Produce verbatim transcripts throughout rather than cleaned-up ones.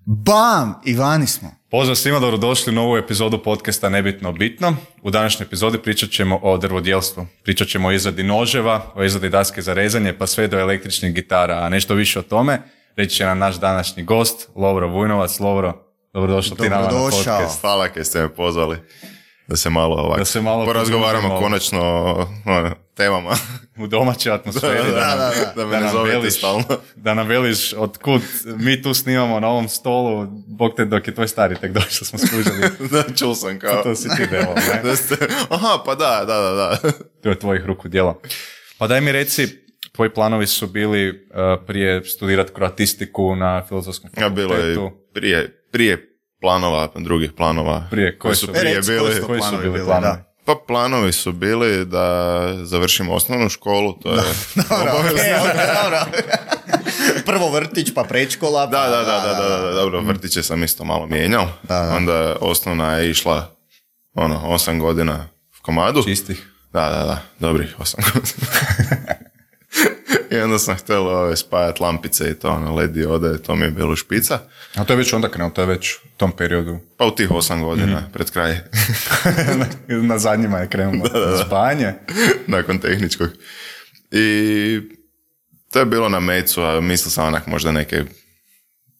Bam! I vani smo. Pozdrav svima, dobrodošli u novu epizodu podcasta Nebitno bitno. U današnjoj epizodi pričat ćemo o drvodjelstvu. Pričat ćemo o izradi noževa, o izradi daske za rezanje, pa sve do električnih gitara. A nešto više o tome reći će nam naš današnji gost, Lovro Vujnovac. Lovro, dobrodošao ti nama na podcast. Hvala kaj ste me pozvali. Da se malo ovako da se malo porazgovaramo malo. Konačno o ono, temama. U domaćoj atmosferi. da, da, da, da, da, da me ne zovete stalno. Da nam veliš otkud mi tu snimamo na ovom stolu, bog te dok je tvoj stari tek došao smo skužili. da, čul sam kao. To si ti devo, ne? da ste, aha, pa da, da, da, da. To je tvojih ruku djela. Pa daj mi reci, tvoji planovi su bili uh, prije studirati kroatistiku na Filozofskom fakultetu. Ja, bilo je prije, prije planova, drugih planova. Prije, koji su prije bili? Koji su, koji su bili planovi? Da. Pa planovi su bili da završimo osnovnu školu, to je obavezno. Prvo vrtić, pa predškola. Pa, da, da, da, da, da, da, da, dobro, vrtiće sam isto malo mijenjao. Da, da. Onda osnovna je išla ono, osam godina v komadu. Čistih. Da, da, da, dobrih osam godina. I onda sam htjela ove, spajati lampice i to, ono, L E D diode, to mi je bilo špica. A to je već onda krenuo, to je već u tom periodu? Pa u tih osam godina, mm. pred kraj. na, na zadnjima je krenulo da, da, da. spajanje. Nakon tehničkog. I to je bilo na mecu, a mislio sam onak možda neke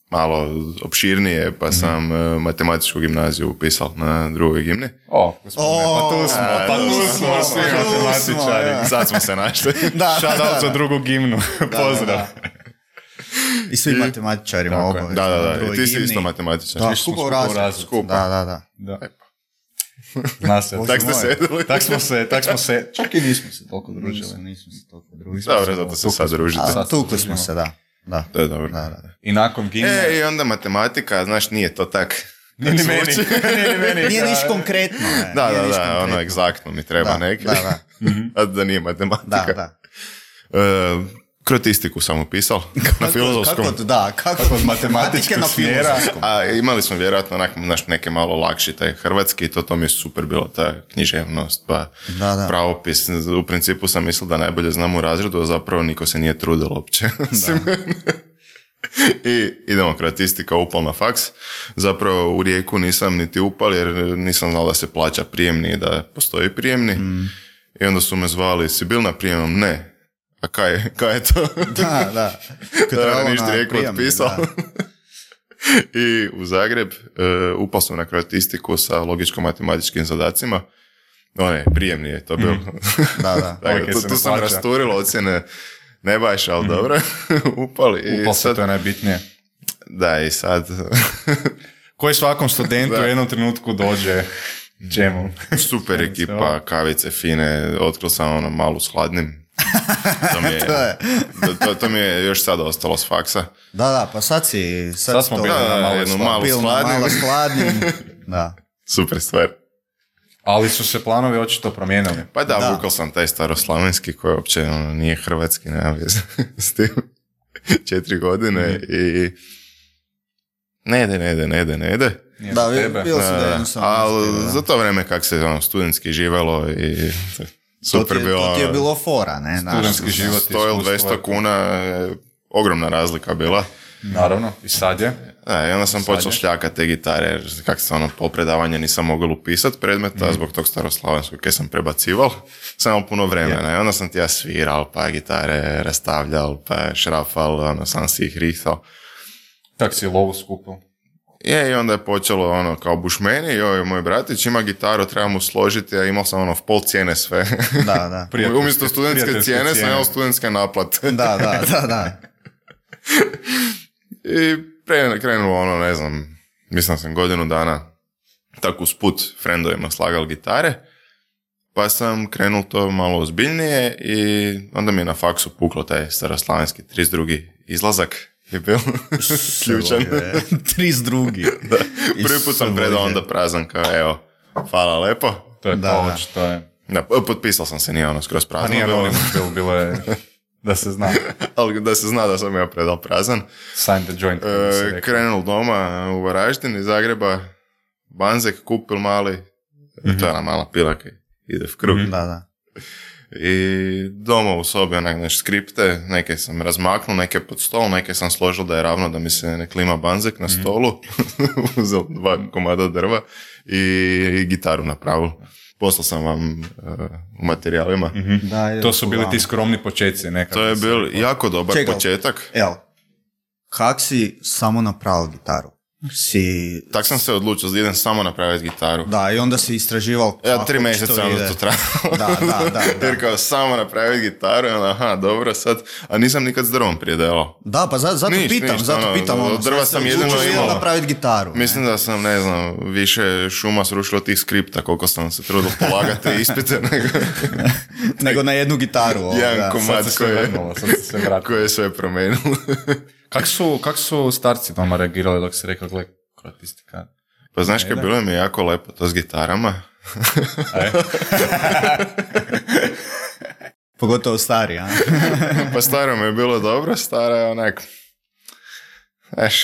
malo opširnije, pa mm-hmm. sam uh, matematičku gimnaziju upisao na drugoj gimni. O, gospodine, oh, pa tu smo, a, pa tu smo svi matematičari. Ja. Sad smo se našli. da, Shout out za drugu gimnu. Pozdrav. Da, da. I svi I, matematičarima obavezno. Da, da, da. I ti si isto matematičar. Da, skupa u razred. Da, da, da. da. Zna se. Tak ste sedeli. Tak smo se, tak smo se, čak i nismo se toliko družili. Nismo, nismo se toliko družili. Dobro, zato se sad družite. A, tukli smo se, da. Da. To je dobro. Da, da. I nakon gimne... E, i onda matematika, znaš, nije to tak... Nije ni meni. Nije, meni. Nije niš konkretno. Ne. Da, nije da, da, konkretno. Ono egzaktno mi treba da, neki. Da, da. A da nije matematika. Da, da. Uh, kroatistiku sam upisal na filozofskom. Kako, da, kako, kako od matematičkog smjera. A imali smo vjerojatno onak, naš, neke malo lakši, taj hrvatski, to, to mi je super bilo, ta književnost, pa da, da. pravopis. U principu sam mislil da najbolje znam u razredu, a zapravo niko se nije trudilo uopće. I idemo kroatistika, upal na faks. Zapravo u Rijeku nisam niti upal jer nisam znao da se plaća prijemni i da postoji prijemni. Mm. I onda su me zvali, si bil na prijemnom? Ne. A kaj, kaj je to? Da, da. Da, ništa Rijeku otpisao. I u Zagreb uh, upal sam na kroatistiku sa logičko-matematičkim zadacima. One, prijemni je to bilo. Mm. Da, da. Dakle, tu, tu sam rasturilo ocjene. Ne baš, ali mm. dobro. Upali. I Upal sad, se, to je najbitnije. Da, i sad... Koji svakom studentu u jednom trenutku dođe čemu? Super ekipa, kavice fine, otkril sam ono malu s hladnim. To mi je, to, je. to, to mi je još sad ostalo s faksa. Da, da, pa sad si... Sad, sad smo bili na malo jednu malu s hladnim. Malo s hladnim. Da. Super stvar. Ali su se planovi očito promijenili. Pa da, da. vukao sam taj staroslavenski koji uopće ono, nije hrvatski, nema veze s tim. Četiri godine mm. i ne ide, ne ide, ne ide, ne ide. Da, bilo si da jednostavno. Ali za to vreme kak se ono, studentski živelo i super to bilo. To ti je bilo fora, ne? Studentski život. sto ili dvjesto kuna, ogromna razlika bila. Naravno, i sad je. Da, i onda sam počeo šljakati te gitare, jer kak se ono, po predavanje nisam mogao upisati predmeta, mm. zbog tog staroslavenskog kaj sam prebacival, sam imao puno vremena. Yeah. I onda sam ti ja sviral, pa gitare rastavljal, pa šrafal, ono, sam si ih rihtal. Tak si lovu skupil. Je, i onda je počelo ono, kao bušmeni, joj, moj bratić ima gitaru, treba mu složiti, a imao sam ono, v pol cijene sve. Da, da. Umjesto studentske cijene, cijene sam imao studentske naplate. Da, da, da, da. I pre, krenulo ono, ne znam, mislim sam godinu dana tako usput frendovima slagal gitare, pa sam krenul to malo ozbiljnije i onda mi je na faksu puklo taj staroslavenski trideset drugi izlazak je bio ključan. trideset drugi Da. Prvi put sam predao onda prazan kao evo, hvala lepo. To je da, to, da. to je. Da, potpisao sam se, nije ono skroz prazno. Pa nije bilo, bilo, bilo je da se zna. Ali da se zna da sam ja predal prazan. Sign the joint. E, krenul doma u Varaždin iz Zagreba, Banzek kupil mali, mm-hmm. to je ona mala pila kaj ide v krug. Mm-hmm. Da, da. I doma u sobi onak neš skripte, neke sam razmaknuo, neke pod stol, neke sam složio da je ravno da mi se ne klima banzek na stolu, uzeo dva komada drva i, i gitaru napravil. Poslao sam vam uh, u materijalima. Mm-hmm. Da, to su bili ti skromni početci. Nekako. To je bil jako dobar Čekaj, početak. Evo, kak si samo napravil gitaru? Si... Tak sam se odlučio da idem samo napraviti gitaru. Da, i onda si istražival Ja, kako tri ti mjeseca to onda ide. to trajalo. Da, da, da, da. Jer kao samo napraviti gitaru, i onda, aha, dobro, sad, a nisam nikad s drvom prije delao. Da, pa zato, zato Niš, pitam, niš, zato ono, pitam. Ono, od drva sad sam se jedino odlučio imao. napraviti gitaru. ne? Mislim da sam, ne znam, više šuma srušilo tih skripta, koliko sam se trudio polagati ispite, nego Nego na jednu gitaru. Ovo, jedan da. komad Sad se sve koji je, vrnulo, sad se sve vratilo. koji je sve promenilo. Kak su, kak su starci doma reagirali dok si rekao, gle, krotistika? Pa znaš kaj, bilo mi je jako lepo to s gitarama. E? Pogotovo stari, a? Pa staro mi je bilo dobro, stara je onak, znaš,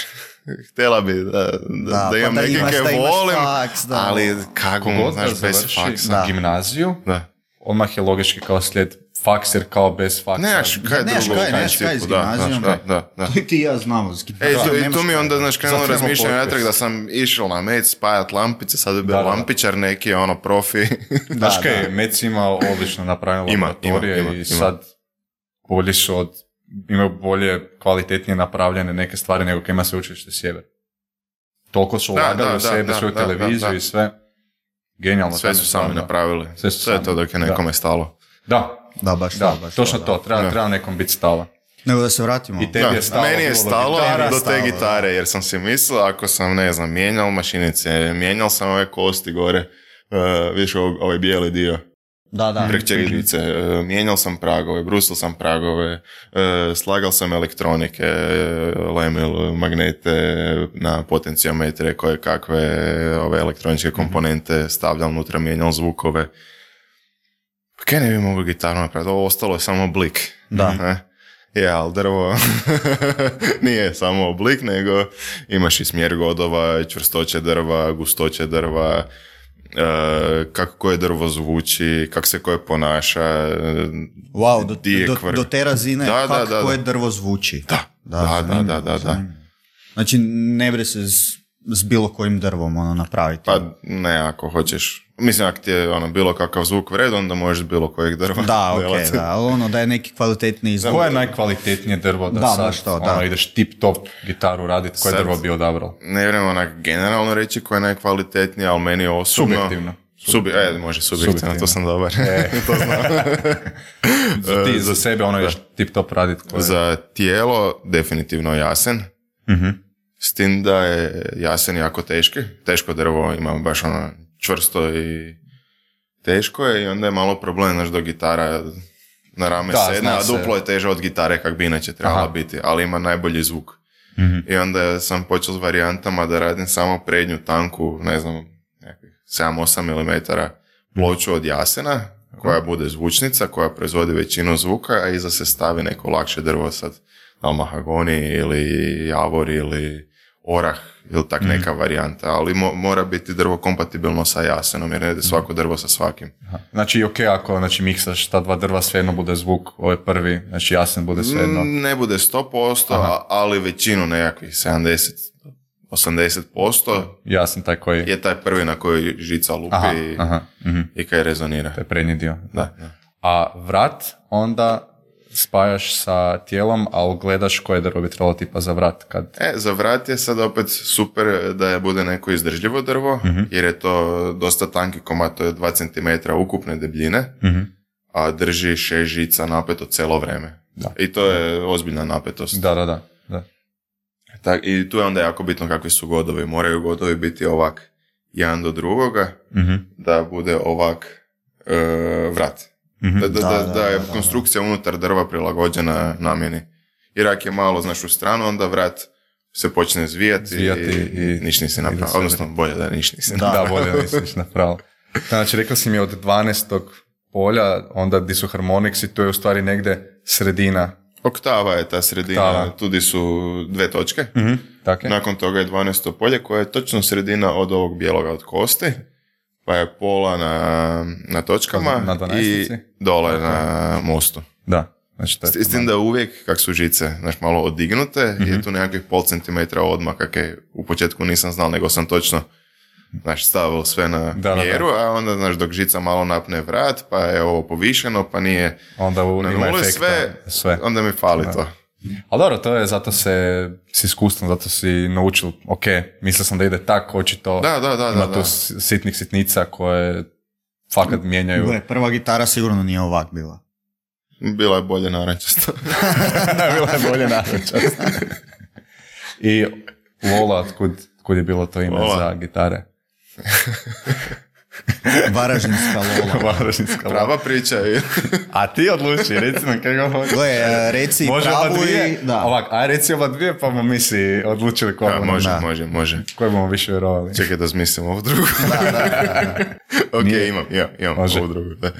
htjela bi da, da, Da, da imam pa da neke imaš- kaj da imaš volim, faks, da. ali kako, Kogod znaš, da bez završi faksa. Da. gimnaziju, Da. odmah je logički kao slijed faks, jer kao bez faksa. Nemaš kaj Nemaš drugo kaj, u nemaš kaj s principu, da, gimnazijom. da, da, da. To i ti i ja znamo. s gitarom. E, tu, i Nemaš tu mi kaj. onda, znaš, krenulo Zato imamo razmišljanje podcast. natrag da sam išao na Mec spajat lampice, sad bi bio Da, da, da. lampičar neki, ono, profi. Znaš Da, kaj, da. Mec ima odlično napravljene Ima, laboratorije ima, ima, i ima. sad bolji su od, imaju bolje, kvalitetnije napravljene neke stvari nego kaj ima sveučilište Sjever. Toliko su Da, ulagali da, u da, sebe, da, svoju da, televiziju da, da. i sve. Genijalno. Sve tam su je sami stvarno. napravili. Sve su Sve je sami, to dok je da. nekome stalo. Da, Da, baš da, to, baš točno to. to, da. treba, Da. treba nekom biti stalo. Nego da se vratimo. I tebi Da, je stalo. meni je bilo do stalo gitare. do te stalo, gitare, jer sam si mislio, ako sam, ne znam, mijenjal mašinice, mijenjal sam ove kosti gore, uh, viš ovaj, ovaj bijeli dio, Da, da. prek čekidice, uh, mijenjal sam pragove, brusio sam pragove, uh, slagal sam elektronike, uh, lemil, magnete na potencijometre, koje kakve ove elektroničke komponente stavljal unutra, mijenjal zvukove. Pa kaj ne bi mogao gitaru napraviti? Ovo ostalo je samo oblik. Da. Ne? Je, ali drvo nije samo oblik, nego imaš i smjer godova, čvrstoće drva, gustoće drva, e, kako koje drvo zvuči, kako se koje ponaša. Wow, do, di je do, kvr. do te razine Da, da, kako da, da. koje drvo zvuči. Da, da, da, zanimljivo, da, da, da. zanimljivo. Znači, ne bre se s, s bilo kojim drvom ono napraviti. Pa ne, ako hoćeš. Mislim, ako ti je ono, bilo kakav zvuk vred, onda možeš bilo kojeg drva Da, ok, delati. da, ali ono da je neki kvalitetniji zvuk. Koje je najkvalitetnije drvo da, Da, sad baš to, ono, da. ideš tip top gitaru raditi, koje Sad- drvo bi odabrao? Ne vjerujem onak generalno reći koje je najkvalitetnije, ali meni je osobno... Subjektivno. Subi, e, može subjektivno, Subjektivno. to sam dobar. to znam. Za, ti, E, za sebe ono ideš tip top raditi koje... Za tijelo definitivno jasen. Mhm. S tim da je jasen jako teški. Teško drvo ima baš ono čvrsto i teško je i onda je malo problem, znaš, do gitara na rame Da, sedne, zna a se. duplo je teže od gitare kak bi inače trebala Aha. biti, ali ima najbolji zvuk. Mhm. I onda sam počeo s varijantama da radim samo prednju tanku, ne znam, nekakvih sedam osam milimetara ploču od jasena, koja bude zvučnica, koja proizvodi većinu zvuka, a iza se stavi neko lakše drvo, sad da li mahagoni ili javor ili orah ili tak neka varijanta, ali mo- mora biti drvo kompatibilno sa jasenom, jer ne ide svako drvo sa svakim. Aha. Znači, ok, ako znači, miksaš ta dva drva, svejedno bude zvuk, ovaj prvi, znači jasen bude svejedno. Mm, Ne bude sto posto, a- ali većinu nekakvih sedamdeset do osamdeset posto Jasen taj koji... je taj prvi na koji žica lupi Aha, i, aha, mhm. i kaj rezonira. To je prednji dio. Da, da. A vrat onda spajaš sa tijelom, ali gledaš koje drvo bi trebalo tipa za vrat. Kad... E, za vrat je sad opet super da je bude neko izdržljivo drvo, jer je to dosta tanki komad, to je dva centimetra ukupne debljine, Mhm. a drži šest žica napeto cijelo vrijeme. Da. I to je ozbiljna napetost. Da, da, da. da. Tak, i tu je onda jako bitno kakvi su godovi. Moraju godovi biti ovak jedan do drugoga, Mhm. da bude ovak e, vrat. Mhm. Da, da, da, Da, da, da, je da, da. konstrukcija unutar drva prilagođena namjeni. Jer ako je malo, znaš, u stranu, onda vrat se počne zvijati, Zvijati i, i- niš nisi i da napravio. se Odnosno, bolje da niš nisi Da. napravio. Da, bolje nisi ništa napravio. Znači, rekao si mi od dvanaestog polja, onda di su harmoniksi, to je u stvari negde sredina. Oktava je ta sredina, Oktava. tu di su dve točke. Tako je? Nakon toga je dvanaesto polje koje je točno sredina od ovog bijeloga od kosti. pa je pola na, na točkama Na i dvanaestici? dole Tako. na mostu. Da. Znači, to je S s tim da uvijek, kak su žice, znaš, malo odignute, mm-hmm. je tu nekakvih pol centimetra odmah, kak je u početku nisam znal, nego sam točno, znaš, stavio sve na Da, da, mjeru, da. a onda, znaš, dok žica malo napne vrat, pa je ovo povišeno, pa nije onda u, na ima nuli, efekta. sve, sve. onda mi fali Da. to. Ali dobro, to je, zato se s iskustvom, zato si naučil, ok, mislio sam da ide tako, očito Da, da, da, ima da, tu da. s- sitnih sitnica koje fakat mijenjaju. Gle, prva gitara sigurno nije ovak bila. Bila je bolje narančasta. Bila je bolje naručast. I Lola, kud, kud je bilo to ime Lola. za gitare? Varaždinska Lola. Varaždinska Lola. Prava priča je. A ti odluči, reci nam kako hoćeš. Gle, e, reci Može pravu oba dvije? i... Da. Ovak, a reci oba dvije, pa bomo mi si odlučili koje Da, bomo, može, da. može, može. koje bomo više vjerovali. Čekaj da smislim ovu drugu. ok, Nije- imam, imam, imam Može. ovu drugu. Da. E,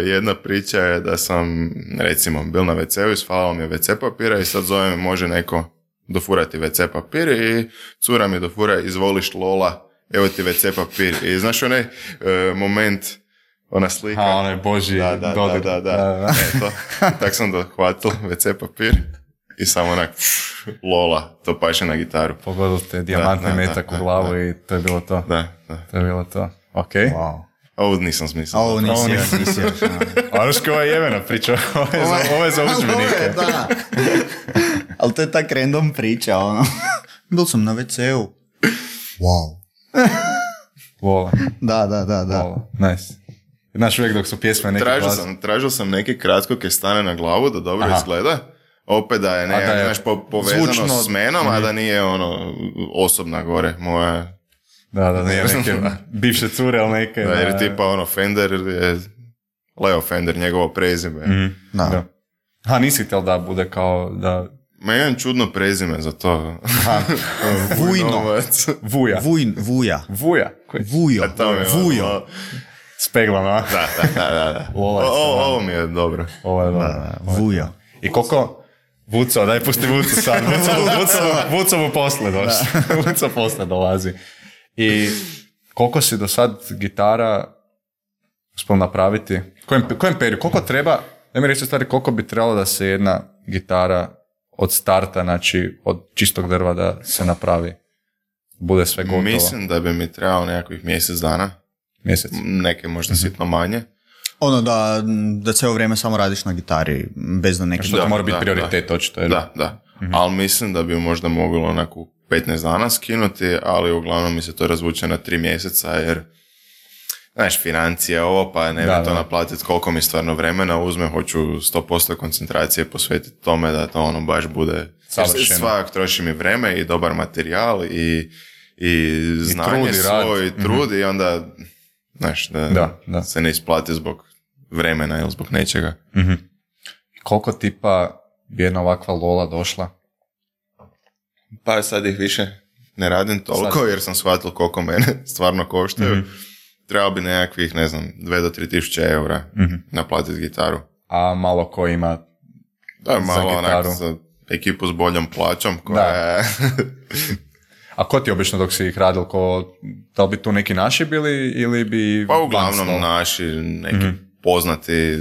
jedna priča je da sam, recimo, bil na ve ce u, isfalao mi je ve ce papira i sad zove me, može neko dofurati ve ce papir i cura mi dofura, izvoliš Lola, evo ti ve ce papir. I znaš onaj e, moment, ona slika. A, onaj Božji Da, da, dodir. da, da, da. Eto, tak sam dohvatil ve ce papir i samo onak, pff, Lola, to paše na gitaru. Pogodilo te dijamantni Da, da, metak da, u glavu da. i to je bilo to. Da, da. To je bilo to. Ok. Wow. Ovo nisam smislio. A ovo nisi Ovo još, nisi. nisi još. A ono što je jevena priča, ovo je za, ovo je za udžbenike. Da. Ali to je tak random priča, ono. Bil sam na ve ce u. Wow. Vola, Da, da, da, da. vola, nice. Znaš, uvijek dok su pjesme neki Tražio glas. sam, tražio sam neki kratko kaj stane na glavu da dobro Aha. izgleda. Opet da je, ne, da je znaš, po, povezano zvučno- s menom, a da nije ono osobna gore moja. Da, da, nije neke bivše cure, ali neke. Da, jer je tipa ono Fender je Leo Fender, njegovo prezime. Mhm, Da. da. A nisi htjel da bude kao da... Ma imam čudno prezime za to. Aha, Vujno. Novac. Vuja. Vujn, vuja. Vuja. Koji? Vujo. A to mi je ono- Vujo. S peglom, a? Da, da, da, da. da. Lola O, je o, stvarno. ovo mi je dobro. Ovo je dobro. Da, vujo. I koliko... Vuco, daj pusti Vuco sad. Vuco, Vuco, Vuco mu posle došli. Vuco posle dolazi. I koliko si do sad gitara uspio napraviti? Kojem, kojem periodu? Koliko treba, ne mi reći stvari, koliko bi trebalo da se jedna gitara od starta, znači od čistog drva da se napravi? Bude sve gotovo. Mislim da bi mi trebalo nekakvih mjesec dana. Mjesec. Neke možda sitno manje. Ono da, da cijelo vrijeme samo radiš na gitari, bez da neki... Što Da, to mora biti da, prioritet, očito. Jer... Da, da. Ali mislim da bi možda moglo onako petnaest dana skinuti, ali uglavnom mi se to razvuče na tri mjeseca, jer znaš, financije ovo, pa ne Da, bi to da. naplatiti koliko mi stvarno vremena uzme, hoću sto posto koncentracije posvetiti tome da to ono baš bude... Savršeno. Svak troši mi vreme i dobar materijal i, i znanje trud i rad. svoj, i trud i onda, znaš, da, Da, da. se ne isplati zbog vremena ili zbog nečega. Mhm. Koliko tipa bi jedna ovakva Lola došla? Pa sad ih više ne radim toliko Sad. jer sam shvatio koliko mene stvarno koštaju. Mhm. Trebao bi nekakvih, ne znam, dve do tri tisuće eura Mhm. naplatiti gitaru. A malo ko ima... Da je malo Za onak gitaru. za ekipu s boljom plaćom koja je... A ko ti obično dok si ih radil, ko, da li bi tu neki naši bili ili bi... pa uglavnom glancalo? naši neki Mhm. poznati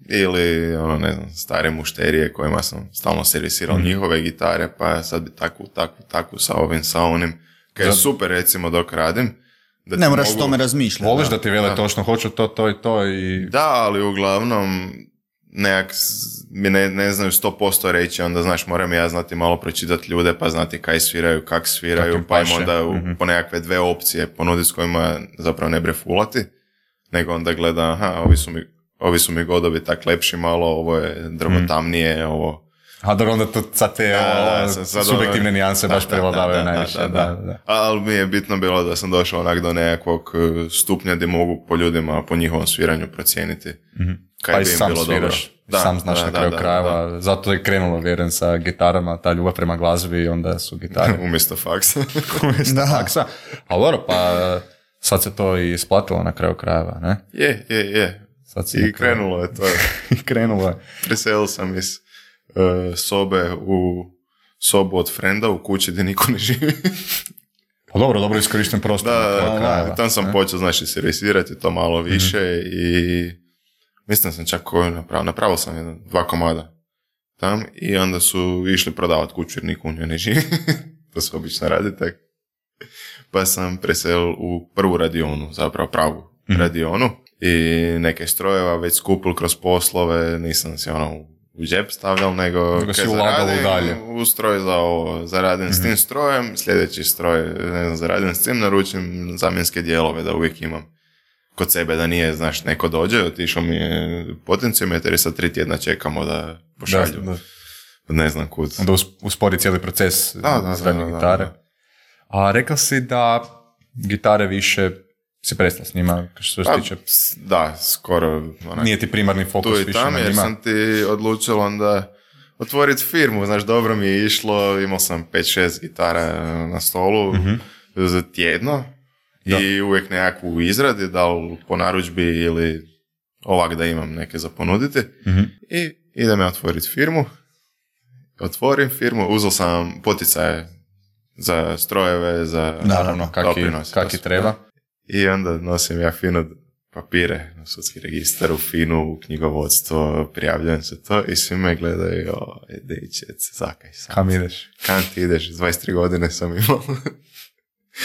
ili ono, ne znam, stare mušterije kojima sam stalno servisirao Mhm. njihove gitare, pa sad bi takvu, takvu, takvu sa ovim, sa onim. Kaj je Za- super recimo dok radim. Da ti Ne moraš o mogu- tome razmišljati. Voliš da. da ti vele Da. točno, hoću to, to i to i... Da, ali uglavnom nekak s- mi ne, ne znaju sto posto reći, onda znaš, moram ja znati malo pročitati ljude, pa znati kaj sviraju, kak Kak sviraju, im pa im paše. onda u- Mhm. po nekakve dve opcije ponuditi s kojima zapravo ne bre fulati, nego onda gleda, aha, ovi su mi, ovi su mi godovi tak lepši malo, ovo je drvo tamnije, ovo... A dobro, onda to sad te Da, da, o, sad- sad subjektivne ono- nijanse da, baš da, prevladavaju da, da, najviše. da, Da, da. da. Ali mi je bitno bilo da sam došao onak do nekakvog eh, stupnja gdje mogu po ljudima, po njihovom sviranju procijeniti. Kaj Pa i bi im sam bilo sviraš, dobro. Da, sam znaš da, na da, kraju da, krajeva, zato je krenulo, vjerujem, sa gitarama, ta ljubav prema glazbi i onda su gitare Umjesto faksa. umjesto Da. faksa. Ali dobro, pa sad se to i isplatilo na kraju krajeva, ne? je, je, je. Sad si I na kraju- krenulo je to. I krenulo je. Preselio sam iz uh, sobe u sobu od frenda u kući gdje niko ne živi. Pa dobro, dobro iskorišten prostor. Da, na da, kraju da, krajeva. da, tam sam Ne? počeo, znači, servisirati to malo više Mhm. i mislim sam čak koju napravio, napravio sam jedan, dva komada tam i onda su išli prodavati kuću jer niko u njoj ne živi. To se obično radi tak. Pa sam preselil u prvu radionu, zapravo pravu Mhm. radionu i neke strojeva već skupil kroz poslove, nisam si ono u džep stavljal, nego Nego si kad ulagal zaradim, dalje. u stroj za ovo, zaradim s tim strojem, sljedeći stroj, ne znam, zaradim s tim, naručim zamjenske dijelove da uvijek imam kod sebe, da nije, znaš, neko dođe, otišao mi je potenciometar i sad tri tjedna čekamo da pošalju, Da, da. ne znam kud. Onda us- uspori cijeli proces Da, da, izgradnje da, da, gitare. da. A rekao si da gitare više si prestao s njima, što se Pa, tiče, s- da, skoro onak, nije ti primarni fokus tu i više tam, na jer njima. sam ti odlučio onda otvoriti firmu, znaš, dobro mi je išlo, imao sam pet šest gitara na stolu za tjedno Da. i uvijek nekakvu u izradi, da li po narudžbi ili ovak da imam neke za ponuditi. Mhm. I idem ja otvoriti firmu, otvorim firmu, uzeo sam poticaje za strojeve, za Naravno, kaki, doprinose, kaki to su- treba. I onda nosim ja fino papire u sudski registar, u finu, u knjigovodstvo, prijavljujem se to i svi me gledaju, o, dečec, zakaj sam. Kam ideš? Kam ti ideš? dvadeset tri godine sam imao.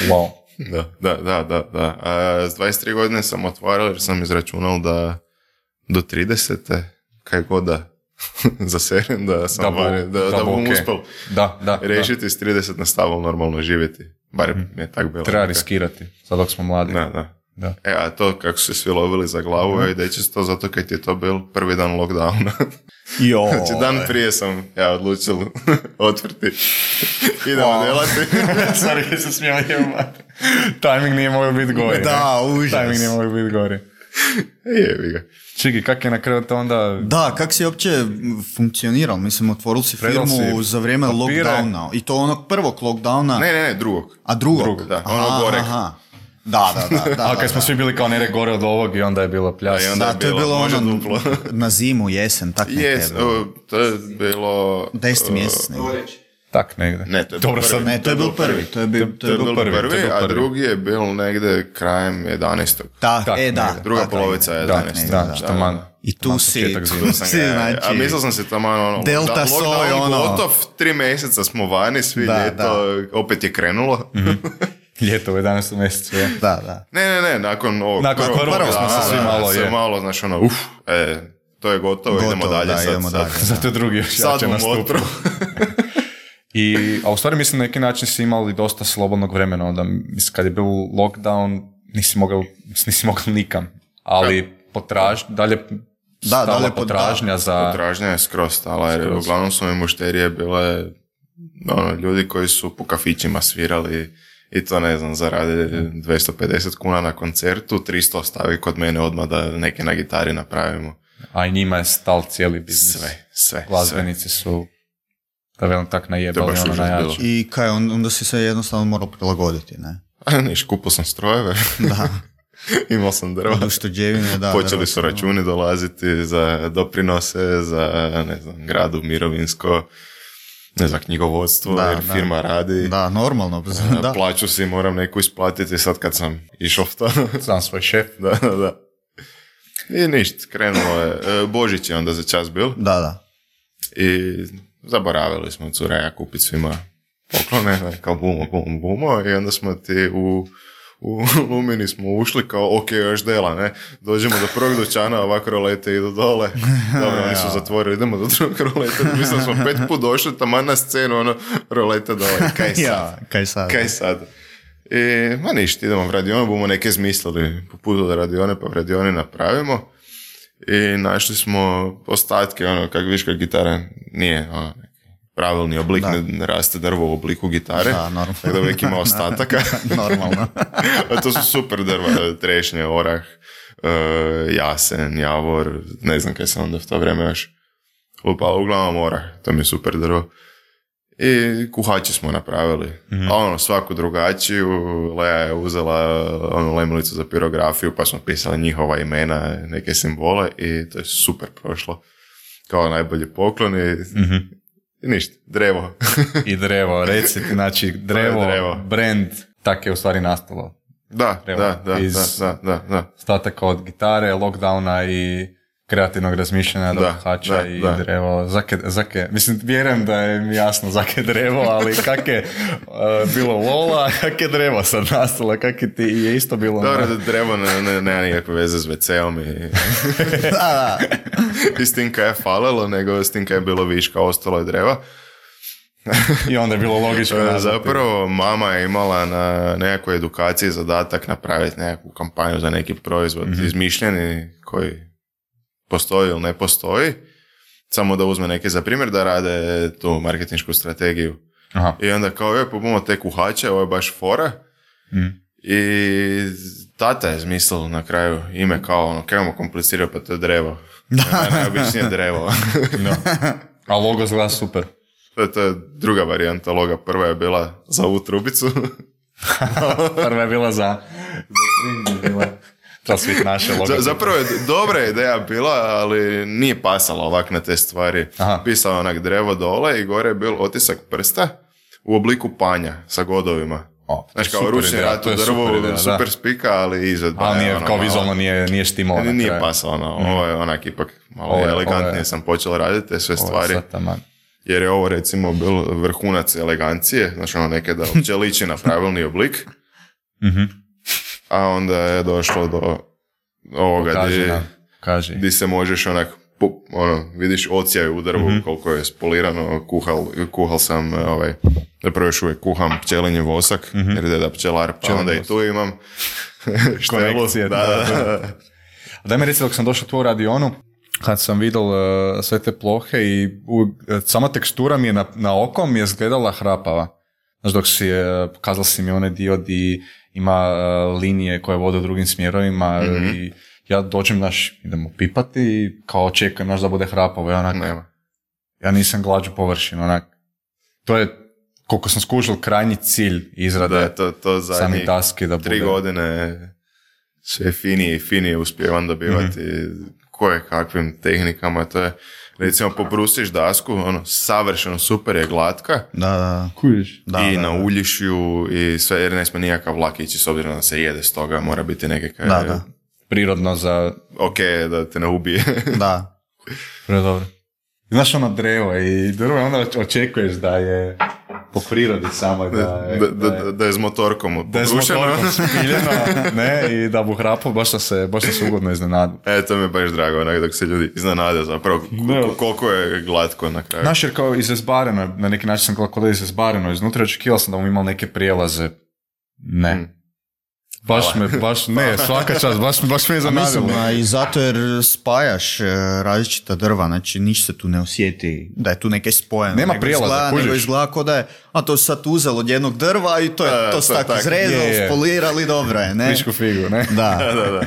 Wow. da, da, da, da, da. A s dvadeset tri godine sam otvarao jer sam izračunal da do tridesete kaj god da zaserem, da sam Da bu- bar, da, da, da bu bom ok. uspel Da, da, da. rešiti s trideset na stavu normalno živjeti. Bar mi je tak bilo. Treba riskirati, sad dok smo mladi. Da, da. Da. E, a to kako su se svi lovili za glavu, mm-hmm. ej, to zato kad je to bil prvi dan lockdowna. Jo. Znači, dan prije sam ja odlučil otvrti. Idemo Wow. delati. Sorry, ja se smijem jebati. Timing nije mogao biti gori. Da, ne? užas. Timing nije mogao biti gori. Jebi ga. Čiki, kak je na kraju to onda... Da, kak si uopće funkcionirao? Mislim, otvorili si Predal firmu si za vrijeme papire. lockdowna. I to onog prvog lockdowna. Ne, ne, ne, drugog. A drugog? Drugog, da, ono goreg. Aha. Da, da, da. da A da, kad smo da. svi bili kao nere gore od ovog i onda je bilo pljas. Da, i onda- Da, to je bilo, bilo može ono duplo. na zimu, jesen, tak neke je Jes, bilo. o, to je bilo... Deseti o, mjesec negdje. Tak negdje. Ne, to je Dobro, prvi. sad, Ne, to je bil prvi. To je bil, to To je bil prvi, prvi, to je bil a prvi. drugi je bil negde krajem jedanaestog. Tak, Tak, e, da. negdje. Druga tak, polovica negdje. Da, jedanaestog. da, što man. I tu Man si, početak zime. tu Sam si, ga- znači... a mislio sam si tamo ono... Delta da, soj, lockdown ono. gotov, tri mjeseca smo vani, svi Da, ljeto, opet je krenulo. Ljeto u jedanaestom mjesecu, je. Da, da. Ne, ne, ne, nakon ovog Nakon prvog da, smo se da, svi da, malo, se je. malo, znaš, ono, uf, e, to je gotovo, Gotovo, idemo dalje da, sad. idemo sad, dalje. Zato je drugi još Sad jače bom nastupio. otro. I, a u stvari mislim na neki način si imali dosta slobodnog vremena, onda mislim kad je bio lockdown nisi mogao, nisi mogao nikam, ali potraž, dalje stala dalje po- potražnja za... Potražnja je skroz stala, jer Skroz. uglavnom su mi mušterije bile ono, ljudi koji su po kafićima svirali i to ne znam, zarade dvjesto pedeset kuna na koncertu, tristo ostavi kod mene odmah da neke na gitari napravimo. A i njima je stal cijeli biznis. Sve, sve, Glazbenici su, da velim tak, To najebali je baš ono užas najjače. bilo. I kaj, on- onda si se jednostavno morao prilagoditi, ne? A niš, kupio sam strojeve, Da. imao sam drva. Od ušteđevine, da. Počeli drva. su računi dolaziti za doprinose, za, ne znam, gradu, mirovinsko, ne znam, knjigovodstvo, Da, jer da. firma radi. Da, normalno. Da. Plaću si moram neku isplatiti sad kad sam išao v to. Sam svoj šef. da, da, da. I ništa, krenulo je. E, Božić je onda za čas bil Da, da. i zaboravili smo cure ja kupiti svima poklone, ne, kao bumo, bumo, bumo i onda smo ti u u Lumini smo ušli kao ok, još dela, ne, dođemo do prvog dućana, ovako rolete idu dole, dobro, oni su zatvorili, idemo do drugog roleta, mislim da smo pet put došli, taman na scenu, ono, rolete dole, kaj sad? Ja, kaj sad? Kaj sad? I, ma ništa, idemo v radionu, bomo neke zmislili po putu do radione, pa v radioni napravimo. I našli smo ostatke, ono, kak viš, kak gitara nije, ono, neki pravilni oblik, ne, ne raste drvo u obliku gitare. Da, normalno. Tako da uvijek ima ostataka. Normalno. A to su super drva, trešnje, orah, e, jasen, javor, ne znam kaj sam onda v to vrijeme još lupala, uglavnom orah, to mi je super drvo. I kuhači smo napravili. Mm-hmm. A ono, svaku drugačiju. Lea je uzela onu lemilicu za pirografiju, pa smo pisali njihova imena, neke simbole i to je super prošlo. Kao najbolji poklon i, Mm-hmm. i ništa, drevo. I drevo, reci, znači drevo, drevo. brand tak je u stvari nastalo. Da, Drvo. da, da, Iz da, da, da, da. Stataka od gitare, lockdowna i kreativnog razmišljanja do Da, hača da, i da. drevo. Zake, zake, mislim, vjerujem da je mi jasno zake drevo, ali kak je uh, bilo lola, kak je drevo sad nastalo, kak je ti je isto bilo... Dobro, na... da drevo ne, ne, nema nikakve veze s ve ceom i... Da, da. I s tim kaj je falilo, nego s tim kaj je bilo viška, ostalo je dreva. I onda je bilo logično. E, nazvati. Zapravo mama je imala na nekakvoj edukaciji zadatak napraviti nekakvu kampanju za neki proizvod Mhm. izmišljeni koji postoji ili ne postoji. Samo da uzme neke za primjer da rade tu marketinšku strategiju. Aha. I onda kao je, pobimo te kuhače, ovo je baš fora. Mm. I tata je zmislil na kraju ime kao ono, kaj imamo komplicirati, pa to je drevo. Da. Najobičnije drevo. No. A logo zgleda super. To je, to je druga varijanta loga. Prva je bila za ovu trubicu. Prva je bila za... Treba svih naše logo. Za, zapravo je dobra ideja bila, ali nije pasala ovak na te stvari. Aha. Pisao onak drevo dole i gore je bil otisak prsta u obliku panja sa godovima. O, Znaš, kao super ručni ideja, rat to u je drvu, super ideja, super da. spika, ali izvedba Ali je nije, ono kao malo- vizualno nije, nije štimalo. na Nije kraju. pasalo, ono, ovo je onak ipak malo Ovo je- elegantnije ovo je- sam počeo raditi te sve Ovo je stvari. sad taman. Jer je ovo recimo bil vrhunac elegancije, znači ono neke da uopće liči na pravilni oblik, Mhm. a onda je došlo do ovoga Kaži gdje, nam, kaži. gdje se možeš onak, pu- ono, vidiš ocijaj u drvu Mhm. koliko je spolirano, kuhal, kuhal sam, e, ovaj, zapravo još uvijek kuham pčelinji vosak, jer je deda pčelar, pa Pčelinji onda i vosak. tu imam štelu. Konekcije, Da, da, da, da. da. A daj mi reci, dok sam došao tu u radionu, kad sam vidio uh, sve te plohe i u, sama tekstura mi je na, na oko mi je izgledala hrapava. Znaš, dok si, uh, pokazala si mi onaj dio di ima uh, linije koje vode u drugim smjerovima Mhm. i ja dođem, znaš, idemo pipati i kao očekujem, znaš, da bude hrapavo. Ja, onak, Nema. ja nisam glađu površinu, onak. To je, koliko sam skužil, krajnji cilj izrade Da, to, to sami zadnjih daske da bude. tri godine sve finije i finije uspijevam dobivati koje kakvim tehnikama, to je recimo pobrusiš dasku, ono, savršeno super je glatka Da, da. Kužiš? Da, i da, da. nauljiš ju i sve, jer ne smije nikakav vlak ići s obzirom da se jede s toga, mora biti nekakav, Da, da. Prirodno za... ok, da te ne ubije. Da. Predobro. Znaš ono drvo i drvo onda očekuješ da je po prirodi samo da je... da, da, da, da je s motorkom da je s pobrušeno. motorkom spiljeno, ne, i da bu hrapao, baš sam se, baš sam se ugodno iznenadio. E, to mi je baš drago, onak, dok se ljudi iznenade zapravo k- Ne. koliko je glatko na kraju. Znaš, jer kao izazbareno, na neki način sam gledao kao da je izazbareno, iznutra očekivao sam da mu imao neke prijelaze. Ne. Mm. Baš me, baš, ne, svaka čast, baš, baš me je A mislim, zanadilo. a i zato jer spajaš e, različita drva, znači niš se tu ne osjeti da je tu neke spojeno. Nema nego prijelaza, izgleda, nego kužiš. izgleda kao da je, a to se sad uzelo od jednog drva i to je Da, to to se tako tak. izrezalo, Je, je. spolirali, dobro je, ne? Frišku figu, ne? Da. Da, da, da.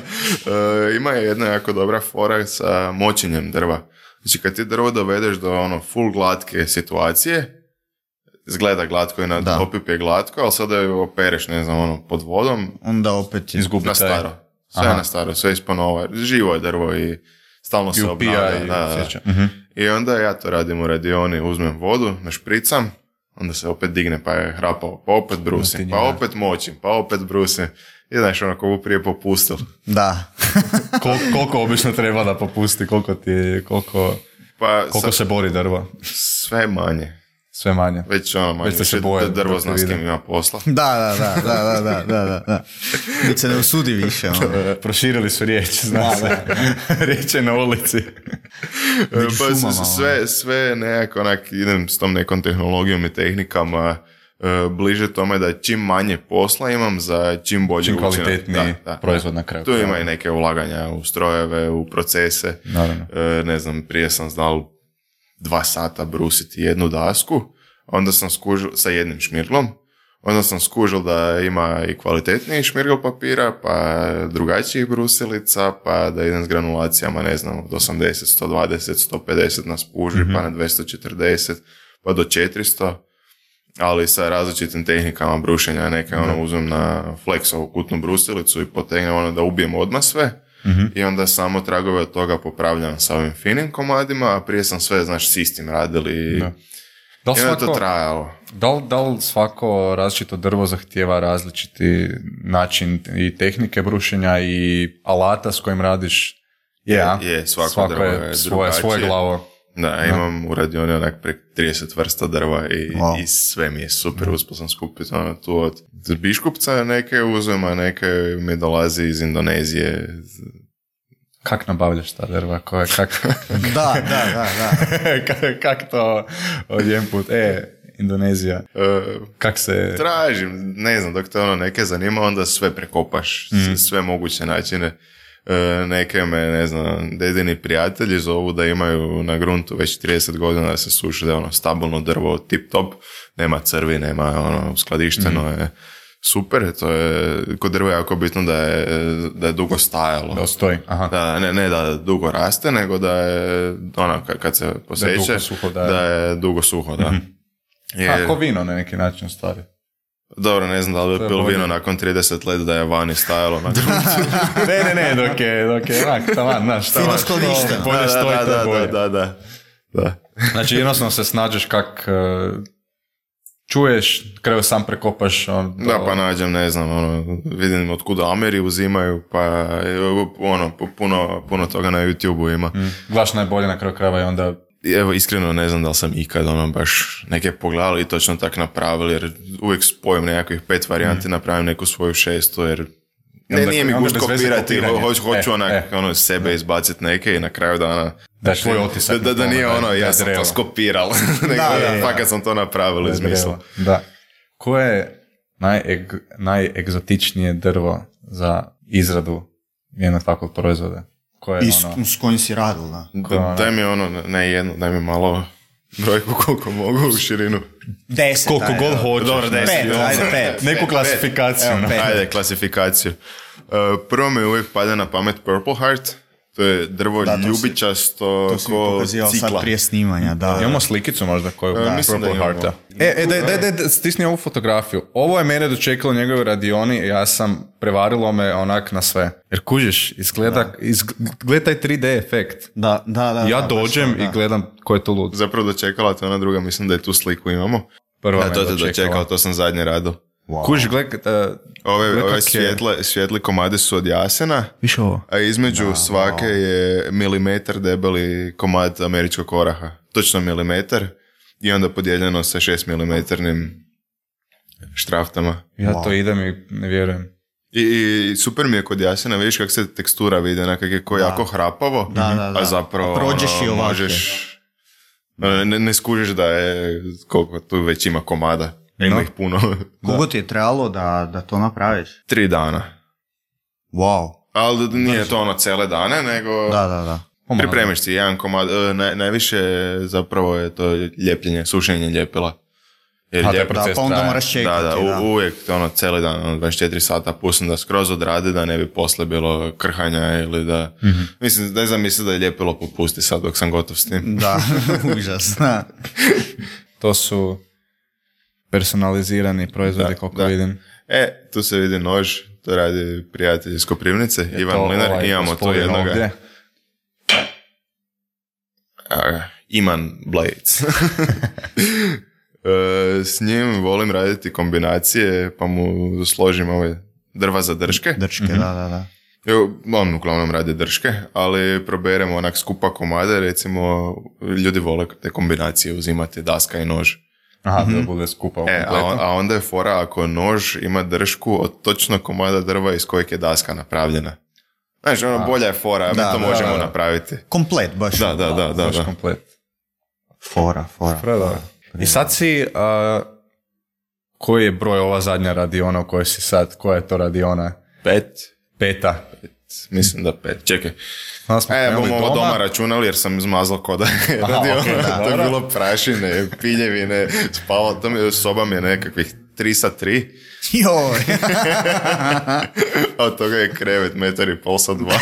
E, ima je jedna jako dobra fora sa močenjem drva. Znači, kad ti drvo dovedeš do ono full glatke situacije, izgleda glatko i na Da. opip je glatko, ali sada ju opereš, ne znam, ono, pod vodom, Onda opet je... Izgubi na taj- staro. Sve Aha. na staro, sve ispanova. Živo je drvo i stalno I se upija obnavlja. i Da, da. osjeća. Mhm. I onda ja to radim u radioni, uzmem vodu, našpricam, onda se opet digne, pa je hrapao, pa opet brusim, Motinje, pa da. opet močim, pa opet brusim. I znaš, ono, ko bu prije popustil. Da. Kol, koliko obično treba da popusti, koliko ti, koliko, Pa koliko sad, se bori drvo? sve manje. Sve manje. Već ono, manje, Već ste se više bojali drvo dok te zna s kim vidim. ima posla. Da, da, da, da, da, da, da, da, da. Već se ne usudi više, ono. Proširili su riječ, znaš se. Riječ je na ulici. Među Pa s- šumama, s- sve, sve nekako onak idem s tom nekom tehnologijom i tehnikama e, bliže tome da čim manje posla imam za čim bolji Čim učinak. kvalitetniji Da, da. proizvod na kraju. Tu ima i neke ulaganja u strojeve, u procese. Naravno. E, ne znam, prije sam znal dva sata brusiti jednu dasku, onda sam skužil sa jednim šmirglom, onda sam skužil da ima i kvalitetniji šmirgl papira, pa drugačijih brusilica, pa da idem s granulacijama, ne znam, od osamdeset, sto dvadeset, sto pedeset na spuži, pa na dvjesto četrdeset, pa do četiristo, ali sa različitim tehnikama brušenja, neke ono uzmem na flexovu kutnu brusilicu i potegnem ono da ubijem odmah sve, i onda samo tragove od toga popravljam sa ovim finim komadima, a prije sam sve, znaš, s istim radili. Da. Da li I onda je to svako, trajalo. da li, da li svako različito drvo zahtijeva različiti način i tehnike brušenja i alata s kojim radiš? Je, a? Je, svako, svako drvo je je svoje, svoje drugačije. glavo. Da, imam u radioni onak prek trideset vrsta drva i, Wow. i sve mi je super, uspio sam skupiti ono tu od biškupca neke uzem, a neke mi dolazi iz Indonezije. Kak nabavljaš ta drva? Koje, kak, Da, da, da, da. kak, kak to odjedanput? E, Indonezija. E, Kak se... tražim, ne znam, dok te ono neke zanima, onda sve prekopaš, mm. sve moguće načine. E, neke me, ne znam, dedini prijatelji zovu da imaju na gruntu već trideset godina da se suši, da je ono stabilno drvo, tip top, nema crvi, nema ono, uskladišteno mm. je super, to je, kod drva je jako bitno da je, da je dugo stajalo. Da stoji, aha. Da, ne, ne da dugo raste, nego da je, ono, kad se poseče, Da je dugo suho, da je. da je dugo suho, da. Mm-hmm. Je, Kako vino na neki način stvari. dobro, ne znam da li je pil vino nakon trideset let da je vani stajalo na gruntu. ne, ne, ne, dok je, dok je, onak, taman, znaš, Fino taman, skladišteno. bolje da, stoji, da, to je da, bolje. da, da, da. Znači, jednostavno se snađeš kak uh, čuješ, kraju sam prekopaš. On, Da, pa nađem, ne znam, ono, vidim od kuda Ameri uzimaju, pa ono, puno, puno toga na YouTube-u ima. Mm. Gledaš najbolje na kraju krajeva i onda... Evo, iskreno ne znam da li sam ikad ono baš neke pogledali i točno tak napravili, jer uvijek spojim nekakvih pet varijanti, mm. napravim neku svoju šestu, jer ne, onda, nije mi gušt kopirati, hoću, hoću e, onak, e. ono, sebe izbaciti neke i na kraju dana... Da je tvoj otisak. Da, da, da nije ono, ja sam to skopiral, nego da, da, fakat sam to napravili iz misla. Da. Koje je najeg, najegzotičnije drvo za izradu jednog takvog proizvoda? Koje je I s, ono... s kojim si radil, da. Da, daj mi ono, ne jedno, daj mi malo brojku koliko mogu u širinu. Deset, Koliko ajde, god da. hoćeš. Dobro, deset, Pet, ajde, ajde, pet. Neku Pet, klasifikaciju. Evo, no. pet. Ajde, klasifikaciju. Uh, prvo mi uvijek pada na pamet Purple Heart. To je drvo Da, to si- ljubičasto To si mi ko pokazivao cikla. sad prije snimanja, da. Imamo slikicu možda koju Da, da, mislim da Purple imamo. Hearta. E, e daj, daj, daj, daj, stisni ovu fotografiju. Ovo je mene dočekalo u njegovoj radioni i ja sam prevarilo me onak na sve. Jer kužiš, izgleda, izgleda taj tri D efekt. Da, da, da. Ja da, dođem baš to, i da. gledam ko je to lud. Zapravo dočekala te ona druga, mislim da je tu sliku imamo. Prva Ja, me to te dočekala. dočekao, to sam zadnje radio. Wow. Kužiš, gledaj, uh, Ove, Gle ove kak je- svijetle, svijetli komadi su od jasena, Viš ovo? a između svake je milimetar debeli komad američkog oraha. Točno milimetar i onda podijeljeno sa šest milimetarnim štraftama. ja Wow. to idem i ne vjerujem. I, i super mi je kod jasena, vidiš kako se tekstura vidi, onak kak je ko jako hrapavo, Da, da, da. a zapravo Prođeš i ono, ovake. možeš, ne, ne skužiš da je koliko tu već ima komada, ima No. ih puno. Koliko ti je trebalo da, da to napraviš? Tri dana. Wow. Ali nije to ono cele dane, nego Da, da, da. Pomalo. pripremiš si jedan komad, e, naj, najviše zapravo je to ljepljenje, sušenje ljepila. Jer A, taj ljep- proces Da, pa onda traje. moraš čekati. da, da, u, uvijek ono cijeli dan, ono, dvadeset četiri sata pustim da skroz odrade, da ne bi posle bilo krhanja ili da... Mhm. Mislim, ne znam, mislim da je ljepilo popusti sad dok sam gotov s tim. Da, užas. Da. To su personalizirani proizvodi, Da, koliko da. vidim. E, tu se vidi nož, to radi prijatelj iz Koprivnice, Je Ivan to Mlinar, ovaj imamo to gospodin jednoga. ovdje? A, Iman Blades. E, s njim volim raditi kombinacije, pa mu složim ove drva za drške. Drčke, da, da, da. Evo, on uglavnom radi drške, ali proberemo onak skupa komade, recimo ljudi vole te kombinacije uzimati, daska i nož. Aha, da bude skupa u E, a, kompletu. on- a onda je fora ako nož ima dršku od točno komada drva iz kojeg je daska napravljena. Znači, ono, bolja je fora, a mi Da, to da, možemo da, da. napraviti. Komplet, baš. Da, da, da, da. Baš da. komplet. Fora, fora. Predobro. I sad si, a, koji je broj ova zadnja radiona u kojoj si sad, koja je to radiona? Pet, Peta. mislim da pet. Čekaj. Onda smo E, krenuli bomo ovo doma računali jer sam izmazao koda. Radio, okej, da, to je dobro. bilo prašine, piljevine, spavao, to mi, soba mi je nekakvih tri sa tri, Joj. a od toga je krevet metar i pol sa dva.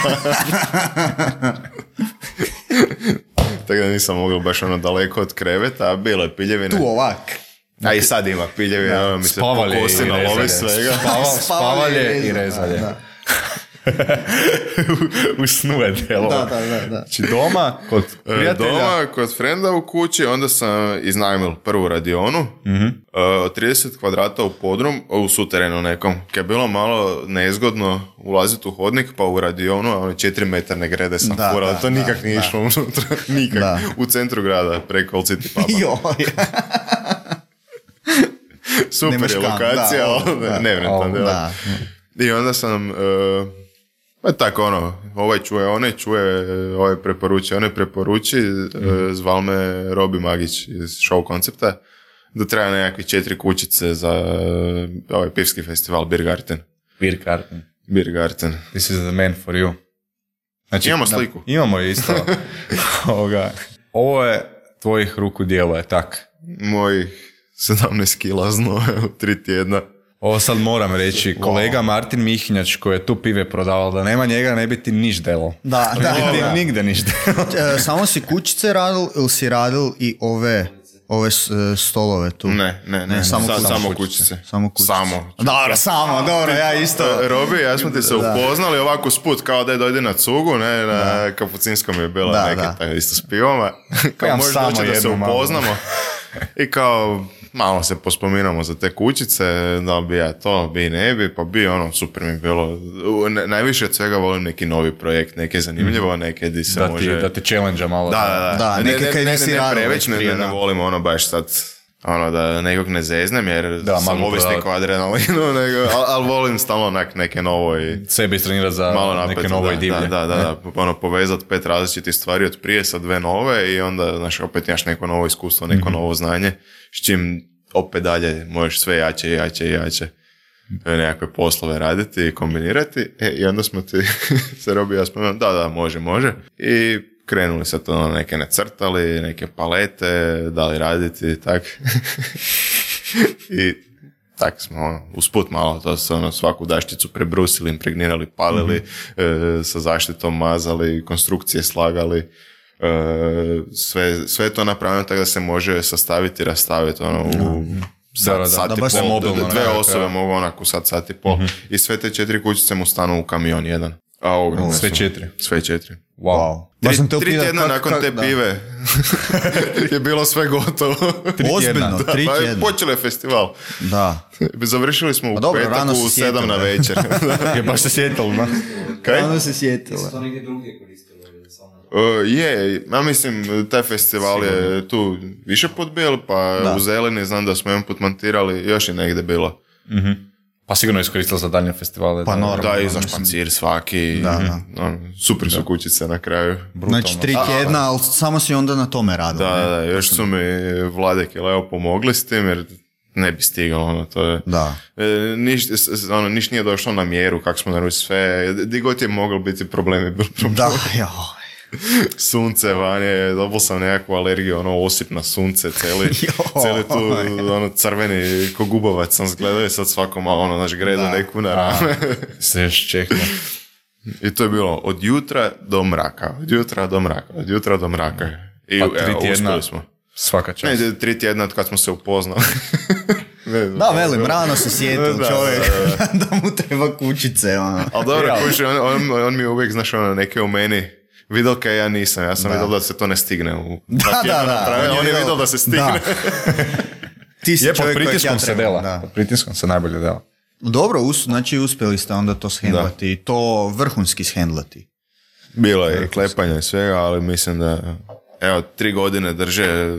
Tako da nisam mogao baš ono daleko od kreveta, a bilo je piljevine. Tu ovak. A i sad ima piljevine, ono mi se Spavalje pokosi i na lovi rezalje. svega. Spava, spavalje i rezalje. Da. u, u snu je delo. Da, da, da, da. Znači doma, kod prijatelja. Doma, kod frenda u kući, onda sam iznajmil prvu radionu, mm-hmm. uh, trideset kvadrata u podrum, u suterenu nekom, kad je bilo malo nezgodno ulaziti u hodnik, pa u radionu, a one četiri metarne grede sam Da, furao, da, to nikak da, nije da. išlo unutra, nikak, Da. u centru grada, preko Old City puba. Joj. Super Nemaš je kam, lokacija, da, ali da. nevrentan, O, jel? Da. I onda sam, uh, pa tako ono, ovaj čuje, onaj čuje, ovaj preporuči, onaj preporuči, mm. uh, zval me Robi Magić iz show koncepta, da treba nekakve četiri kućice za uh, ovaj pivski festival Biergarten. Biergarten. Biergarten. This is the man for you. Znači, Imamo da, sliku. imamo isto. Ovoga. Ovo je tvojih ruku djelo, je tak? Mojih sedamnaest kila znoja u tri tjedna. Ovo sad moram reći, kolega Martin Mihinjač koji je tu pive prodavao, da nema njega ne bi ti niš delo. Da, da, Ne bi ti da. nigde niš delo. E, Samo si kućice radil ili si radil i ove, ove s- stolove tu? Ne, ne, ne, Ne, samo Sa- kućice. samo kućice. Samo kućice. Samo. Dobro, samo, dobro, ja isto. Robi, ja smo ti se Da. upoznali ovako sput, kao da je dojde na cugu, ne, na Kapucinskom je bila Da, neke da. tako isto s pivama. Kao Imam možeš samo doći da se jednu malo. upoznamo. I kao, malo se pospominamo za te kućice, da li bi ja to, bi ne bi, pa bi ono, super mi je bilo. U- ne- najviše od svega volim neki novi projekt, neke zanimljivo, neke di se Da ti, može... da te challenge malo. Da, da, da. Da, Ne- neke ne, kaj ne, nisi ne, ne radio previše, već ne, prije, ne, ne da. volim ono baš sad, ono da nekog ne zeznem jer Da, sam maglu ovisnik prodavati. o adrenalinu, nego, ali al volim stalno onak neke novo i Sebe istrenirati za malo napet, neke novo da, i divlje. Da, da, da, da. Ono, povezat pet različitih stvari od prije sa dve nove i onda, znaš, opet imaš neko novo iskustvo, neko Mhm. novo znanje, s čim opet dalje možeš sve jače i jače i jače nekakve poslove raditi i kombinirati. E, i onda smo ti se Robi i ja spomenuli, da, da, može, može. I krenuli se to, neke nacrtali, neke palete, dali raditi i tak. I tak smo ono, usput malo to se ono, svaku daščicu prebrusili, impregnirali, palili, mm-hmm. e, sa zaštitom mazali, konstrukcije slagali, e, sve, sve to napravljeno tako da se može sastaviti i rastaviti ono, u Da, da, sat, sat da i baš pol, se mobilno d- dve nekako, osobe ja. mogu onako sat, sat i pol. Mm-hmm. I sve te četiri kućice mu stanu u kamion jedan. A ogromne Sve su. četiri. Sve četiri. Wow. Baš Tri, sam te tri upitat tjedna kak- nakon kak- te da. pive je bilo sve gotovo. Ozbiljno, Da, tri pa je tjedna. počelo je festival. Da. Završili smo u Pa dobro, petak rano u si sedam sjetio, na da. večer. Je baš se sjetilo, no? Kaj? Ono se sjetila. To negdje drugdje koristilo ili samo... Uh, je, ja mislim, taj festival je tu više put bil, pa Da. u Zeleni znam da smo jedan put montirali, još je negdje bilo. Pa sigurno je iskoristila za daljnje festivale. Pa da, normalno. Da, i za mislim. špancir svaki. Da, da. ono, super su kućice na kraju. brutalno. Znači tri tjedna, ali samo si onda na tome radio. Da, ne? da, da, još su mi Vladek i Leo pomogli s tim, jer ne bi stigalo, ono, to je... Da. E, niš, s- s- ono, niš nije došlo na mjeru, kako smo naručili sve, di god je moglo biti problemi, bil problem. Da, ja. Sunce vanje, dobio sam nekakvu alergiju, ono, osip na sunce, cijeli, Joj. cijeli tu, ono, crveni, ko gubovac sam zgledao i sad svako malo, ono, znaš, gredo Da. neku na rame. Se još čekno. I to je bilo od jutra do mraka, od jutra do mraka, od jutra do mraka. I Pa tri evo, tjedna. uspjeli smo. Svaka čast. Ne, tri tjedna od kad smo se upoznali. Ne znam. Da, velim, rano se sjetil Da, čovjek da, da mu treba kućice. Ono. Ali dobro, Ja. kuži, on, on, on mi uvijek, znaš, ono, neke u meni vidio kaj ja nisam. Ja sam Da. vidio da se to ne stigne. U Da, dva tjedna da, da. napraviti, On je vidio da se stigne. Da. Ti si Je, pod čovjek kojeg pritiskom ja se trebam, dela. da. Pod pritiskom se najbolje dela. Dobro, us, znači uspjeli ste onda to shendlati i to vrhunski shendlati. Bilo je i klepanja i svega, ali mislim da, evo, tri godine drže,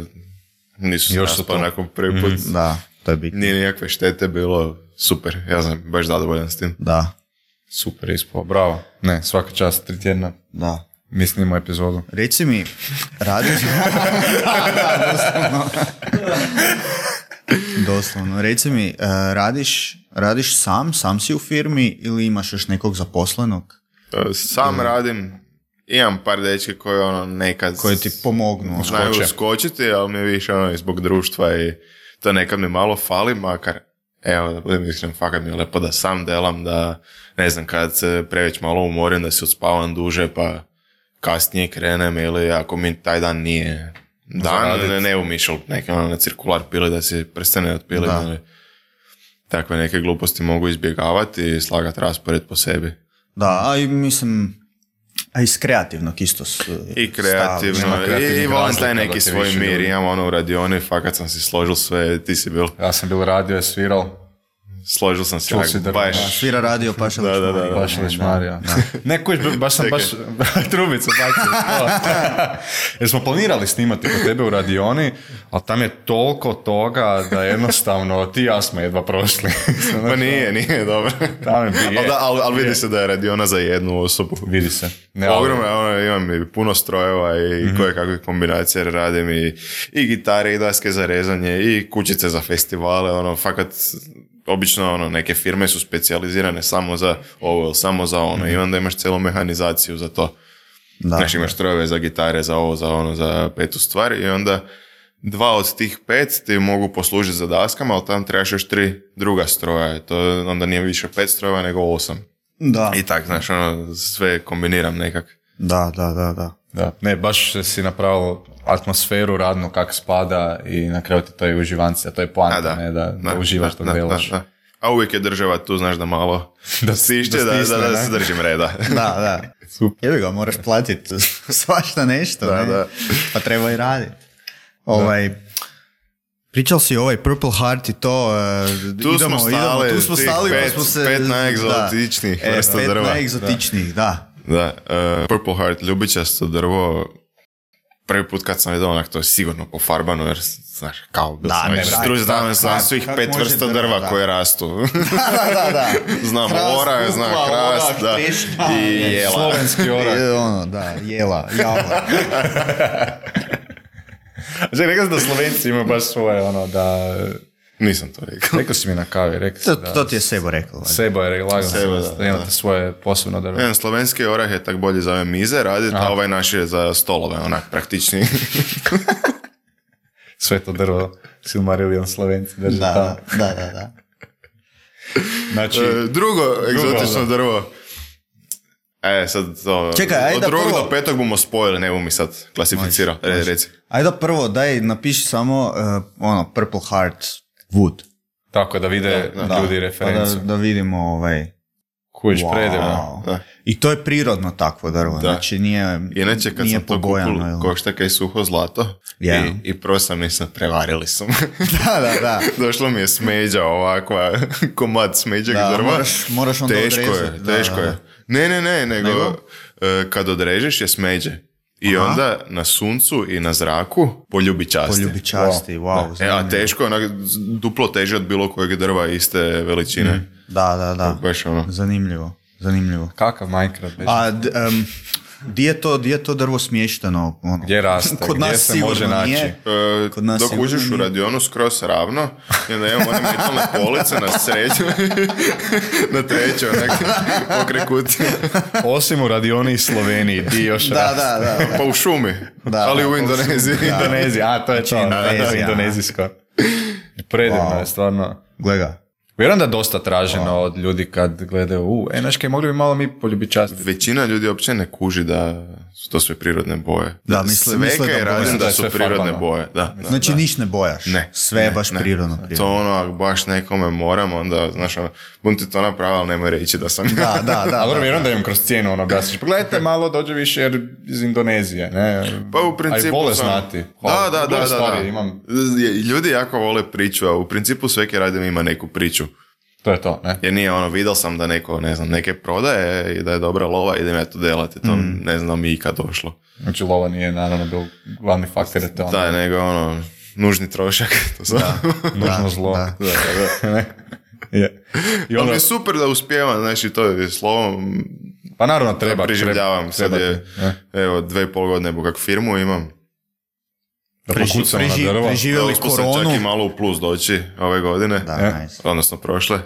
nisu se Još su raspali to. nakon prvi put. Da, to je bitno. Nije nikakve štete bilo, super. Ja sam baš zadovoljan s tim. Da, Super ispao, bravo. Ne, svaka čast, tri tjedna. da. Mi snimamo epizodu. Reci mi, radiš... Da, doslovno. Doslovno. Reci mi, e, radiš, radiš sam, sam si u firmi ili imaš još nekog zaposlenog Sam radim, imam par dečke koji ono nekad koji ti pomognu? znaju skoče. skočiti, ali mi je više ono i zbog društva i to nekad mi malo fali, makar evo, da budem iskren, fakat mi je lepo da sam delam, da ne znam, kad se preveć malo umorim, da se odspavam duže, pa kasnije krenem, ili ako mi taj dan nije dan, Zaradit. ne, ne umišljal neke ono na cirkular pili, da si prstene otpili, Da. ili takve neke gluposti mogu izbjegavati i slagati raspored po sebi. Da, a i mislim, a iz kreativnog isto. S, I kreativno, Nema i, kreativnih i volim taj razlika neki da ti svoj više mir. ljudi. Imam ono u radioni, fakat sam si složil sve, ti si bil, Ja sam bil radio, je sviral, složil sam si Čul onak si drvo, baš, da. Svira radio Pašalić. Da, da, da, da. Pašalić Marija. Ne, kuć, baš sam Čekaj. baš trubicu bacio. Jer smo planirali snimati kod tebe u radioni, ali tam je toliko toga da jednostavno ti i ja smo jedva prošli. Ma nije, nije dobro. Tam je bi- Ali, da, ali, ali vidi je. se da je radiona za jednu osobu. Vidi se. Ne, ali- Ogromno, ono, imam i puno strojeva i mm-hmm. koje kakve kombinacije jer radim i, i gitare i daske za rezanje i kućice za festivale, ono, fakat obično ono, neke firme su specijalizirane samo za ovo ili samo za ono i onda imaš cijelu mehanizaciju za to. Da. Znaš, imaš strojeve za gitare, za ovo, za ono, za petu stvar i onda dva od tih pet ti mogu poslužiti za daskama, ali tam trebaš još tri druga stroja. To onda nije više pet strojeva nego osam. Da, I tak, znaš, ono, sve kombiniram nekak. da, da, da, da. Da, ne, baš si napravilo atmosferu radnu kak spada i na kraju ti to je uživancija, to je poanta, A, da. ne, da, da, uživaš dok delaš. Da, da. A uvijek je država tu, znaš, da malo Da stišće, da da, da, stisne, da, ne? se držim reda. Da, da. Super. Jebi ga, moraš platiti svašta nešto, Da, ne? da. Pa treba i raditi. Ovaj, pričal si ovaj Purple Heart i to, uh, Tu idemo, smo stali, idemo, tu smo tih stali, pa pet- smo se... pet najegzotičnijih da. vrsta e, pet drva. najegzotičnijih, da. Da, uh, Purple Heart, ljubičasto drvo, prvi put kad sam vidio onak, to je sigurno pofarbano, jer, znaš, kao bil Da, sam ne, već da, stručan, kak- znam, znam kak- svih kak pet može vrsta drva, drva da. koje rastu. Da, da, da. Znam Hrast, orah, znam kukla, hrast, orah, da, trešnja, i ne, jela. Slovenski orah. I ono, da, jela, java. Znači, rekao si da Slovenci imaju baš svoje, ono, da... Nisam to rekao. Rekao si mi na kavi, rekao si To, da... to ti je Sebo rekao. valjda. Sebo je lagano Sebo, da, da, da imate da. svoje posebno drvo. Jedan slovenski orah je tak bolje za ove mize raditi, a ovaj naš je za stolove, onak, praktičniji. Sve to drvo Silmarillion Slovenci drže Da, tamo. da, da, da. Znači, E, Drugo egzotično da. drvo. E, sad to... Čekaj, ajde od da drugog prvo- do petog bomo spojili, ne bum mi sad klasificirao. Može, Re, može. reci. Ajde prvo, daj, napiši samo uh, ono, Purple Heart Wood. tako da vide Da, ljudi Pa referencu. da, da vidimo ovaj... Kuć, Wow. predivno. Da. I to je prirodno takvo drvo, Da. znači nije, Inače, kad nije sam to pobojano. kupil, jel? košta kaj suho zlato. Ja. I, I prvo sam nisam, prevarili su me. Da, da, da. Došlo mi je smeđa ovakva, komad smeđeg Da, drva. moraš- moraš onda teško odrezati. je, Da, teško da, da. je. Ne, ne, ne, nego, Nego? e, kad odrežeš je smeđe. I Aha. onda na suncu i na zraku poljubi časti. Poljubi časti, wow. E, a zanimljivo. teško je, onak, duplo teže od bilo kojeg drva iste veličine. Da, da, da. Baš ono. Zanimljivo, zanimljivo. Kakav Minecraft, bez... A d- em, di je to, di je to drvo smješteno? Ono? Gdje raste, Kod gdje nas se sigurno može naći? nije. E, Kod nas dok sigurno uđeš u nije. radionu skroz ravno i onda imamo one metalne police na sreću na treću onak pokre kutiju. Osim u radioni i Sloveniji, di još Da, raste. da, da. da. Pa u šumi, Da, ali da, u pa u Indoneziji. šumi, da. Indonezija, a to je to. Indonezija. Da, indonezijsko. Predivno Wow. je, stvarno. Gle ga. Vjerujem da je dosta traženo od ljudi kad gledaju, u, e, znaš kaj, mogli bi malo mi poljubiti časti. Većina ljudi uopće ne kuži da su to sve prirodne boje. Da, misle- sve misle kaj da radim boje- da da je su sve prirodne farbano. boje. Da, da, Znači da. niš ne bojaš. Ne. Sve je ne, baš ne. prirodno. To prirodno. ono, ako baš nekome moram, onda, znaš, ono, bum ti to napravio, ali nemoj reći da sam... Da, da, da. A dobro, da. vjerujem da im kroz cijenu ono objasniš. Pogledajte malo, dođe više jer iz Indonezije, ne? Pa u principu A i vole sam- znati. Da, Hvala. da, da, Gle, da, stvari, da. Imam, Ljudi jako vole priču, a u principu sve kaj radim ima neku priču. to je to, ne? Jer nije ono, vidio sam da neko, ne znam, neke prodaje i da je dobra lova, idem ja to delati. To Mm. ne znam mi ikad došlo. Znači, lova nije naravno bil glavni faktor, je to ono, Da, nego ono, nužni trošak. To sam. nužno Da, zlo. da. Da, da, da. Je. I Ali onda, mi je super da uspijevam, znači to je slovom, pa naravno treba. preživljavam. Sad treba je, ti, ne? evo, dve i pol godine kak firmu imam. Da Preži- pokucamo na preži- drvo. preživjeli Uspio sam koronu. čak i malo u plus doći ove godine. Da, E. nice. Odnosno prošle.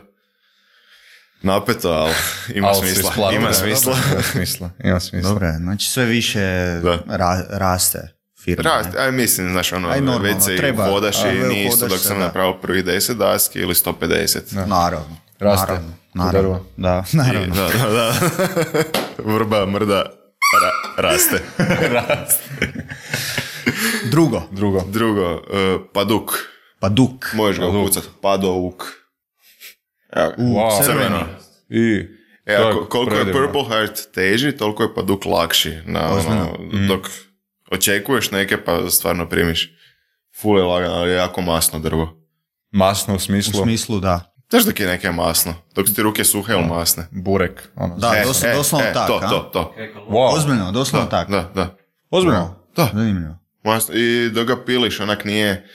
Napeto, ali ima Al si smisla. isplatio, Ima da, smisla. dobro, Ima smisla. Ima smisla. Dobro, je, znači sve više Da. ra- raste firma. Rast, ne? aj mislim, znaš, ono, Aj, normalno, već se i treba. hodaš A, i ve- nije isto hodaš dok se, sam da. napravio prvih deset daski ili sto pedeset. Naravno. Raste Naravno. u naravno. drvo. Da, I, naravno. da, da, da. Vrba, mrda, ra- raste. Drugo, Drugo. Drugo, uh, paduk. paduk. Možeš ga Paduk. upucat. Padouk. Evo ga. U, Wow. crveni. Crveno. I... E, To je ako, koliko je predivno. Purple Heart teži, toliko je pa duk lakši. Na, ono, dok očekuješ neke, pa stvarno primiš. Ful je lagano, ali je jako masno drvo. Masno u U smislu smislu, da. Znaš dok je neke masno? Dok su ti ruke suhe ili masne? burek. Ono. Da, E, dos, e, doslovno e, tak, to, a? to, to. Wow. Ozbiljno, doslovno Da, tak. da, da. Ozbiljno? Da. Zanimljivo. Masno. I dok ga piliš, onak nije...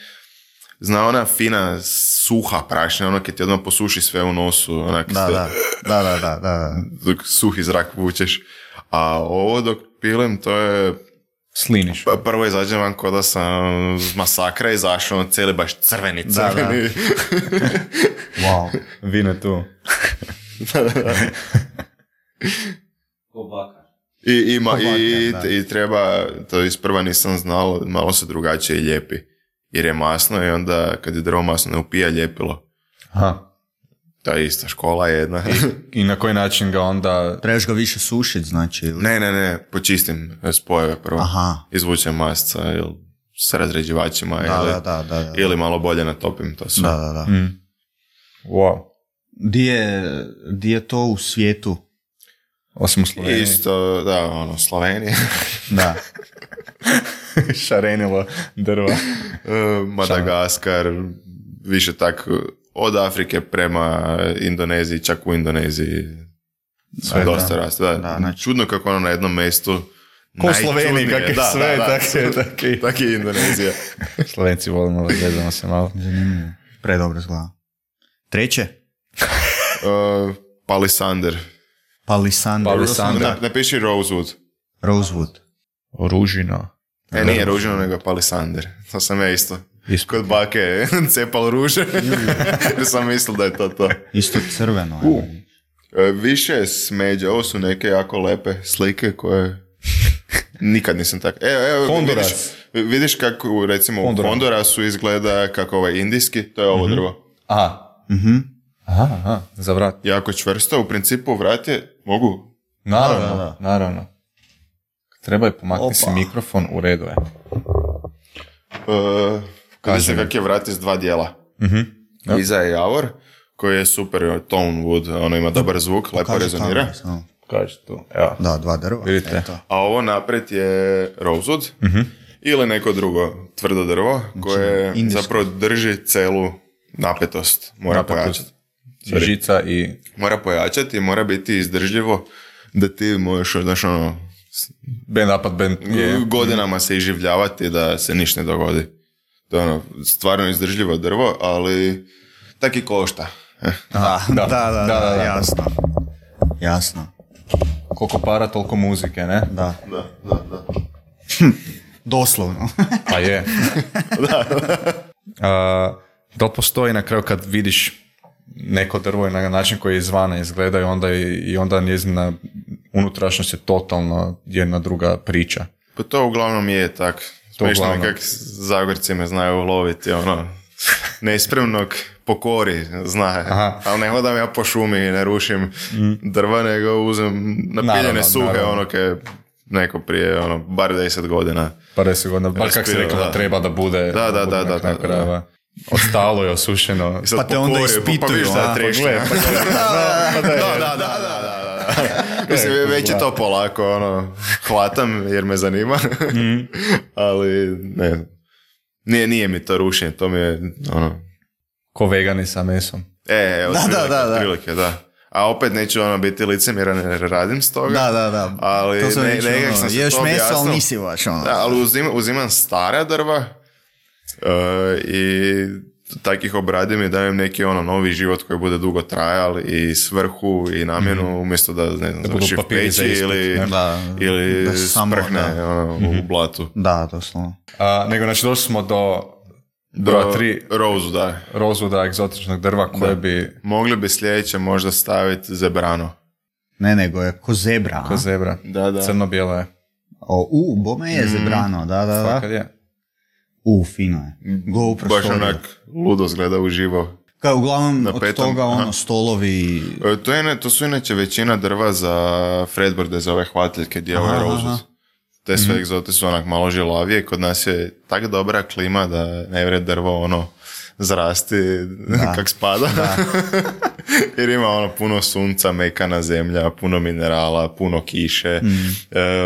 Zna ona fina, suha prašina, ono kad ti odmah posuši sve u nosu, onak Da, sve, da, da, da, da, da. dok suhi zrak vučeš. A ovo dok pilim, to je... Sliniš. Pa prvo izađem van ko da sam z masakra izašao, ono cijeli baš crveni, Da, da. crveni. Wow. Vine tu. Ko bakar. I, ima, Ovakav, i, da. i treba, to isprva nisam znao, malo se drugačije lijepi. Jer je masno i onda kad je drvo masno ne upija ljepilo. Aha. Ta ista škola je jedna. I na koji način ga onda... Trebaš ga više sušit, znači. ili- ne, ne, ne, počistim spojeve prvo. Aha. Izvučem masca ili s razređivačima Da, ili, da, da, da, da. ili malo bolje natopim to sve. Da, da, da. Mm. Wow. Di je, di je to u svijetu? Osim u Sloveniji. Isto, da, ono, Slovenija, Da. Šarenilo drva. e, Madagaskar, više tak od Afrike prema Indoneziji, čak u Indoneziji Sve, dosta da. raste. Da. Da, znači- Čudno kako ono na jednom mjestu Ko u Sloveniji, najčudnije. kak je Da, sve, da, da. tak je, tak je. Tak je Indonezija. Slovenci volimo, gledamo se malo. Zanimljivo. Predobro zgleda. Treće? Uh, Palisander. Palisander. Palisander. Na, napiši Rosewood. Rosewood. Ružino. E, nije ružino, nego Palisander. To sam ja isto. Isto. Kod bake cepal ruže. Jer sam mislil da je to to. Isto crveno. U. E, više je smeđe. Ovo su neke jako lepe slike koje... Nikad nisam tako... Evo, evo, Honduras. vidiš, vidiš kako, recimo, Honduras. u Hondurasu izgleda kako ovaj indijski, to je ovo drvo. Aha. Mhm. Aha, aha, za vrat. Jako čvrsto, u principu vrat je, mogu... Naravno, Da, da, da. naravno. Treba je pomakni Opa. si mikrofon, u redu je. Uh, Kaže se mi. kak je vrat iz dva dijela. Mhm. Da. Iza je javor, koji je super tone wood, ono ima dobar zvuk, lepo Kaže rezonira. tamo, samo. Kaže tu, evo. Da, dva drva. Vidite. Eto. A ovo naprijed je rosewood ili neko drugo tvrdo drvo koje indijsko. zapravo drži celu napetost. Mora Napetost. pojačati. I žica i... Mora pojačati i mora biti izdržljivo da ti možeš, znaš, ono, Band napad, band je... godinama se iživljavati da se ništa ne dogodi. To je ono, stvarno izdržljivo drvo, ali tak i košta. Eh. Da, da, da, da, Da, da, da. jasno. Jasno. Koliko para, toliko muzike, ne? Da. Da, da, da. Doslovno. Pa je. A, da li postoji na kraju kad vidiš neko drvo i na način koji izvana izgleda i onda, i onda njezina unutrašnjost je totalno jedna druga priča. Pa to uglavnom je tak. To Smiješno mi uglavnom. kak Zagorci me znaju loviti, ono, nespremnog pokori, zna. Aha. Ali ne hodam ja po šumi i ne rušim drva, nego uzem napiljene Naravno, suhe, naravno. ono ke neko prije, ono, bar deset godina. Pa deset godina, bar kak si Raspirao, rekla da da. treba da bude. Da, da, bude da, na da, kraju da, da. krajeva. Ostalo je osušeno. I sad Pa te onda pokori, pa- pa ispituju, vidiš da je a? trešnja. Pa gle, pa gle. Da, da, da, da, da, da. Mislim, već je to polako, ono, hvatam jer me zanima, ali ne, nije, nije mi to rušenje, to mi je, ono, Ko vegani sa mesom. e, evo, Da, da, otprilike, da, da. otprilike, da. A opet neću ono biti licemjeran jer radim s toga. Da, da, da. Ali to sam ne- već, nekak ono, sam se ješ to meso, ali objasnio. nisi baš ono. Da, ali uzim, uzimam stara drva uh, i takih obradim i dajem neki ono novi život koji bude dugo trajal i svrhu i namjenu umjesto da, ne znam, budu završi v papiri za peći ispit, ili, ne? Da, ili da se samo, sprhne da. ono, u blatu. Da, doslovno. A, nego, znači, došli smo do Do broja tri Rose, da. rozvoda egzotičnog drva koje bi Mogli bi sljedeće možda staviti zebrano. Ne, nego je ko zebra. a? ko zebra. Da, da. Crno-bijelo je. O, u, bome je zebrano, da, da, Fakat da. je. U, fino je. Go u Baš prostoriju. onak ludo zgleda uživo. Kao uglavnom Na od petom, toga ono aha. stolovi. E, To, je, ne- to su inače većina drva za fretboarde, za ove hvatiljke gdje je ovaj Aha, rozus. aha. Te sve egzote su onak malo žilavije. Kod nas je tak dobra klima da ne vre drvo ono zrasti kak spada. Jer ima ono puno sunca, mekana zemlja, puno minerala, puno kiše, mm.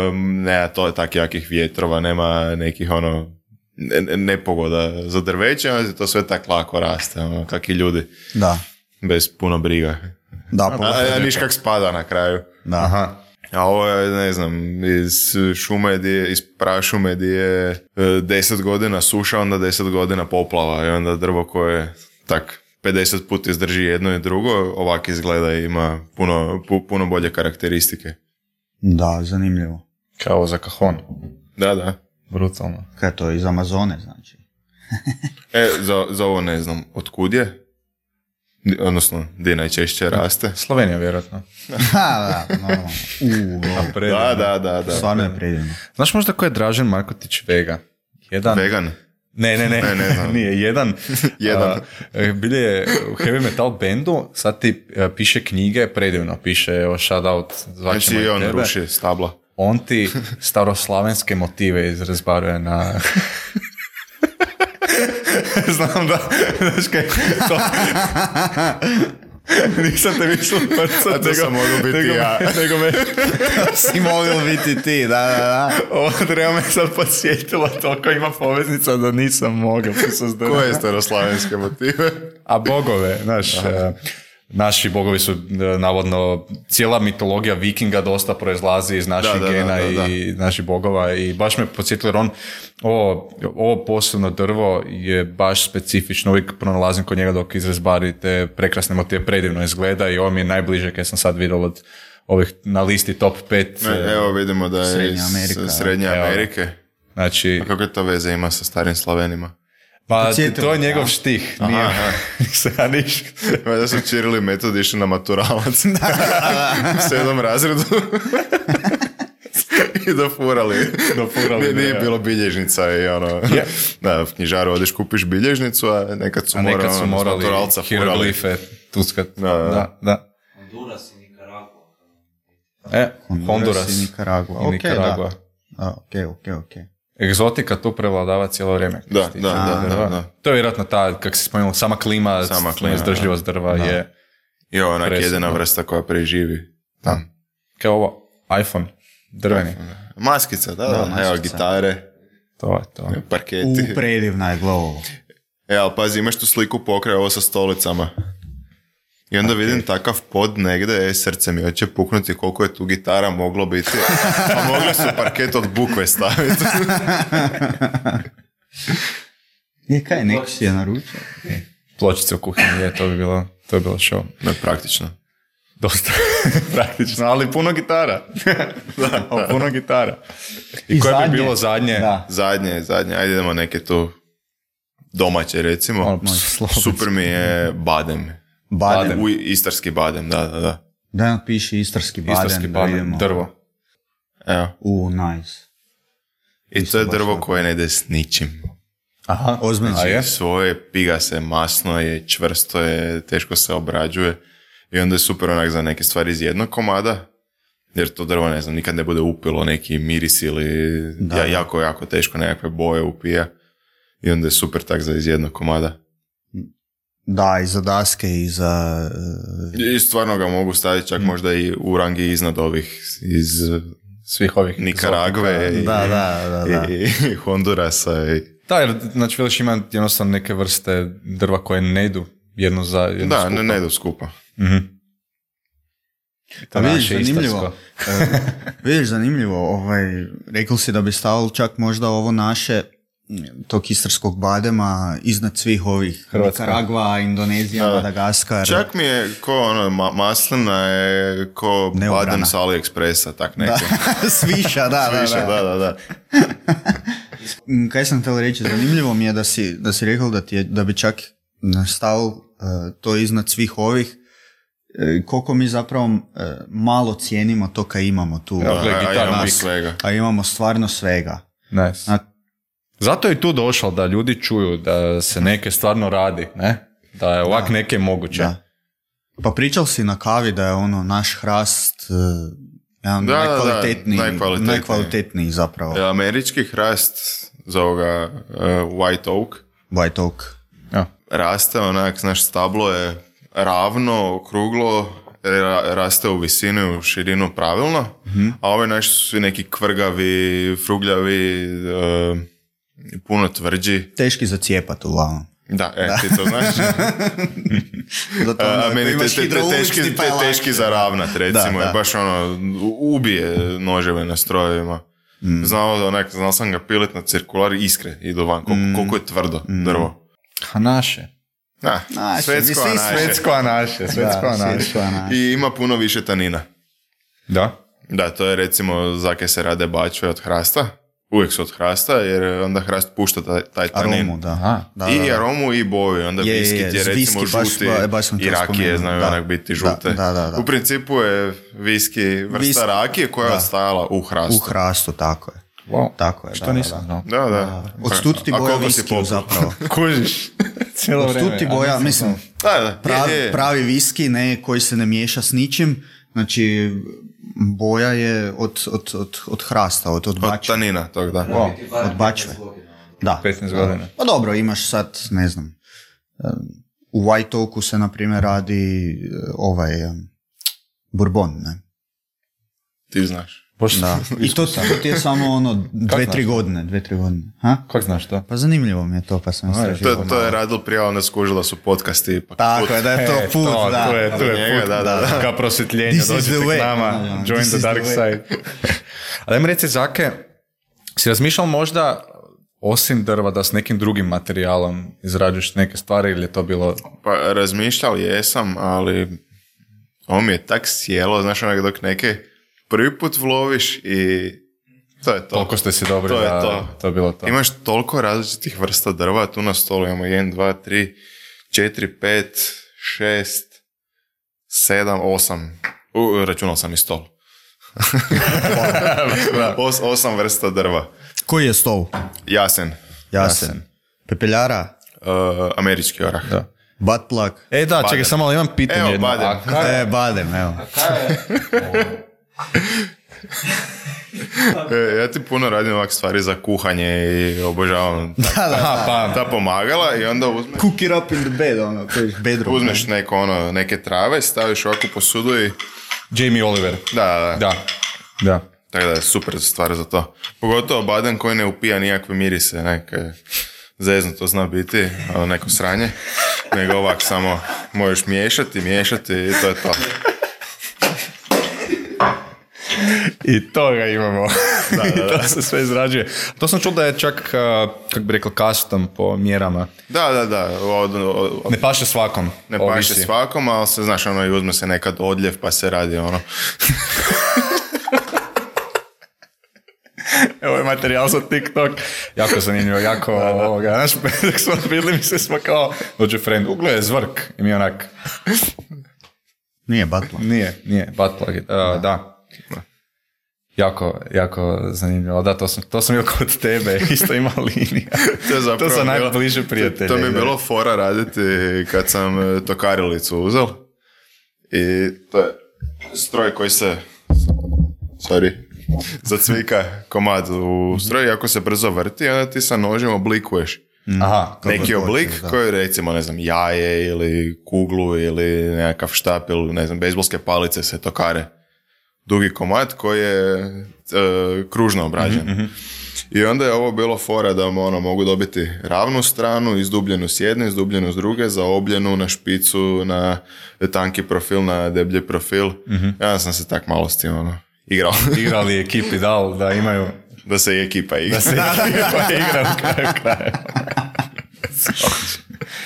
um, nema to tak jakih vjetrova, nema nekih ono ne, nepogoda za drveće, ali to sve tak lako raste, ono, kak i ljudi. Da. Bez puno briga. Da, a, a niš kak spada na kraju. Da. Aha. A ovo je, ne znam, iz šume, di je, iz prašume di je deset godina suša, onda deset godina poplava i onda drvo koje tak pedeset puta izdrži jedno i drugo, ovak izgleda i ima puno, pu, puno bolje karakteristike. Da, zanimljivo. Kao za kaхон. Da, da. Brutalno. Kaj to, iz Amazone, znači? e, za, za ovo ne znam, otkud je? Odnosno, gdje najčešće raste? Slovenija, vjerojatno. da, normalno. Uuu, da, da, da, da. Stvarno je predivno. Znaš možda ko je Dražen Markotić Vega? Jedan... Vegan? Ne, ne, ne, ne, ne nije. Jedan, Jedan. Uh, bilje je u heavy metal bandu, sad ti uh, piše knjige, predivno piše, evo, shout out, zvaćemo znači, i tebe. on ruši stabla. On ti staroslavenske motive izrazbaruje na... Znam da, znaš kaj, to... Nisam te mislio prcat, a to sam mogao biti nego, ja. Nego me... si mogao biti ti, da, da, da. Ovo treba me sad podsjetilo, toliko ima poveznica da nisam mogao. Koje staroslavenske motive? A bogove, znaš... Naši bogovi su navodno, cijela mitologija vikinga dosta proizlazi iz naših da, da, gena da, da, da. i naših bogova i baš me podsjetilo jer on, ovo, ovo posebno drvo je baš specifično, uvijek pronalazim kod njega dok izrezbari te prekrasne motive, predivno izgleda i ovo mi je najbliže kad sam sad vidio od ovih na listi top pet. Ne, evo vidimo da je Srednja Amerika. iz Srednje Amerike. Evo, znači, a kako je to veze ima sa starim Slavenima? Pa Podsjetilo, to je njegov ja. štih, nije se ja niš. Da su Čirili metod išli na maturalac u sedmom razredu i dofurali. Dofurali, nije, nije ja. bilo bilježnica i ono, Yeah. da, v knjižaru odeš kupiš bilježnicu, a nekad su, A nekad morali, su ono, morali maturalca furali. hieroglife tuskat. Da, da. da, da. Honduras i Nicaragua. E, Honduras Honduras i Nicaragua. i Ok, Nicaragua. da. Ok, ok, ok. Egzotika tu prevladava cijelo vrijeme. Da, što se da, tiče da, drva. da, da. To je vjerojatno ta, kako si spomenul, sama klima, Sama klima, izdržljivost drva da. je I ovo onak presudno. jedina vrsta koja preživi. Da. Kao ovo, iPhone, drveni. Maskica, da, da, Da, evo maskica. gitare, To je to. parketi. U, predivna je glovo. E, ali pazi, imaš tu sliku pokraj ovo sa stolicama. I onda okay. vidim takav pod negdje, e, srce mi hoće puknuti koliko je tu gitara moglo biti. A mogli su parket od bukve staviti. Je kaj, neko si je naručio? Pločice u kuhinji, je, to bi bilo, to bi bilo show. Ne, praktično. Dosta praktično, ali puno gitara. da, ali puno gitara. I, I koje zadnje. bi bilo zadnje? Da. Zadnje, zadnje, ajde idemo neke tu domaće recimo. Ono, slovenski. Super mi je badem. Badem. U, istarski badem, da, da, da. Da nam piše istarski badem. Istarski da badem, vidimo. drvo. Evo. U, nice. I to je drvo koje ne ide s ničim. Aha, Ozbiljno. a je? Svoje piga se, masno je, čvrsto je, teško se obrađuje. I onda je super onak za neke stvari iz jednog komada. Jer to drvo, ne znam, nikad ne bude upilo neki miris ili Da. ja, jako, jako teško nekakve boje upija. I onda je super tak za iz jednog komada. Da, i za daske i za... uh, I stvarno ga mogu staviti čak možda i u rangi iznad ovih iz Svih ovih Nikaragve i, Da, da, da, da. i, i Hondurasa. I... Da, jer znači veliš ima jednostavno neke vrste drva koje ne idu jedno za jedno Da, skupa. ne, ne idu skupa. Mhm. Pa To vidiš, naše zanimljivo. istarsko. E, vidiš, zanimljivo. Ovaj, rekli si da bi stavili čak možda ovo naše tog istarskog badema iznad svih ovih Hrvatska. Nikaragva, Indonezija, Da. Madagaskar. Čak mi je ko ono, ma, maslina je ko Neobrana. badem s AliExpressa, tak neko. Da. Sviša, da, da, Više, da. da, da, da. Mm, Kaj sam htjela reći, zanimljivo mi je da si, da si rekao da, ti je, da bi čak stavil uh, to iznad svih ovih, e, koliko mi zapravo uh, malo cijenimo to kaj imamo tu, Ja, gle, A, a gitara imamo nas. svega. a imamo stvarno svega. Nice. A- Zato je i tu došlo da ljudi čuju da se neke stvarno radi, ne? Da je ovak neke moguće. Da. Pa pričal si na kavi da je ono naš hrast uh, jedan Da, da, da, najkvalitetniji, najkvalitetniji. najkvalitetniji zapravo. E, Američki hrast za ovoga uh, White Oak White Oak. Ja. raste onak, znaš, stablo je ravno, okruglo, ra- raste u visinu, u širinu pravilno, mm-hmm. a ove naši su svi neki kvrgavi, frugljavi, uh, puno tvrđi. Teški za cijepat uglavnom. Da, e, da. Ti to znaš. Zato a, onda, a meni te, te, te, teški, te, teški za ravnat, recimo, da, da. baš ono, ubije noževe na strojevima. Mm. Znao, onak, znao sam ga pilit na cirkular, iskre idu van, koliko, mm. koliko je tvrdo mm. drvo. A naše. Da, naše, svetsko a naše. Svetsko a naše, svetsko a naše. I ima puno više tanina. Da? Da, to je recimo zake se rade bačve od hrasta. Uvijek su od hrasta, jer onda hrast pušta taj, taj tanin. Aromu, da. Aha, da. I da, da. aromu i boju. Onda je, viski je, je recimo viski, žuti baš, baš i rakije znaju onak biti žute. Da, da, da, da. U principu je viski vrsta viski, rakije koja je ostajala u hrastu. U hrastu, tako je. Wow. Tako je, što da, nisam da, da. da, da. Odstud ti boja viskiju zapravo. Kužiš. Cijelo vreme. Odstud ti boja, mislim, da, da. Pravi, je, je. pravi viski, ne, koji se ne miješa s ničim, znači boja je od, od, od, od hrasta, od, od bačve. Od tanina, tog da. Wow. Od bačve. Da. petnaest godina. Pa dobro, imaš sad, ne znam, u White Oaku se, na primjer, radi ovaj bourbon, ne? Ti znaš. Da. I to, to ti je samo ono dve, tri godine, dve, tri godine. Ha? Kako znaš to? Pa zanimljivo mi je to, pa sam istražio. To, to je radilo prije, onda skužila su podcasti. Pa tako put. je, da je to e, put, to, da. To je, to je njega, put, da, da, da. Ka prosvjetljenje, dođite k nama, no, no, join the dark the side. Ali ajmo reći, Zake, si razmišljao možda, osim drva, da s nekim drugim materijalom izrađuješ neke stvari, ili je to bilo... Pa razmišljao jesam, ali ovo mi je tak sjelo, znaš onak dok neke prvi put vloviš i to je to. Toliko ste si dobri to da je to. to je bilo to. Imaš toliko različitih vrsta drva, tu na stolu imamo jedan, dva, tri, četiri, pet, šest, sedam, osam. U, računao sam i stol. Os, osam vrsta drva. Koji je stol? Jasen. Jasen. Jasen. Pepeljara? Uh, američki orah. Da. Butt plug? E da, badem. Čekaj, samo ali imam pitanje. Evo, jedno. badem. E, badem, evo. e, ja ti puno radim ovak stvari za kuhanje i obožavam ta, da, da, da, ta, ta pomagala i onda uzmeš... Cook it up in the bed, ono, bedroom. Uzmeš neko, ono, neke trave, staviš ovako po sudu i... Jamie Oliver. Da, da, da. da. Tako da je super stvar za to. Pogotovo badem koji ne upija nijakve mirise, neke zezno to zna biti, ono, neko sranje, nego ovak samo možeš miješati, miješati i to je to. I toga imamo. Da, da, da. I to se sve izrađuje. To sam čuo da je čak, kako bi rekao, custom po mjerama. Da, da, da. Od, od, od, ne paše svakom. Ne paše svakom, ali se, znaš, ono, i uzme se nekad odljev pa se radi ono... Evo je materijal za TikTok. Jako zanimljivo, jako da, da. Ovoga. Znaš, dok smo vidjeli mi se smo kao, dođe friend, uglo je zvrk. I mi onak... Nije buttplug. Nije, nije buttplug. Uh, da. da. Jako, jako zanimljivo. Da, to sam, to sam bio kod tebe, isto ima linija. To je zapravo... To su najbliže prijatelje. To, to mi je bilo fora raditi kad sam tokarilicu uzel. I to je stroj koji se... Sorry. Zacvika komad u stroj, ako se brzo vrti, onda ti sa nožem oblikuješ. Aha, neki oblik hoćeš, koji recimo, ne znam, jaje ili kuglu ili nekakav štap ili, ne znam, bejzbolske palice se tokare. Dugi komad koji je e, kružno obrađen. Mm-hmm. I onda je ovo bilo fora da ono, mogu dobiti ravnu stranu, izdubljenu s jedne, izdubljenu s druge, zaobljenu na špicu, na tanki profil, na deblji profil. Mm-hmm. Ja sam se tak malo s tim ono, igrao. Igrali ekipi dal da imaju... Da se i ekipa igra. Da se ekipa igra u kraju kraja.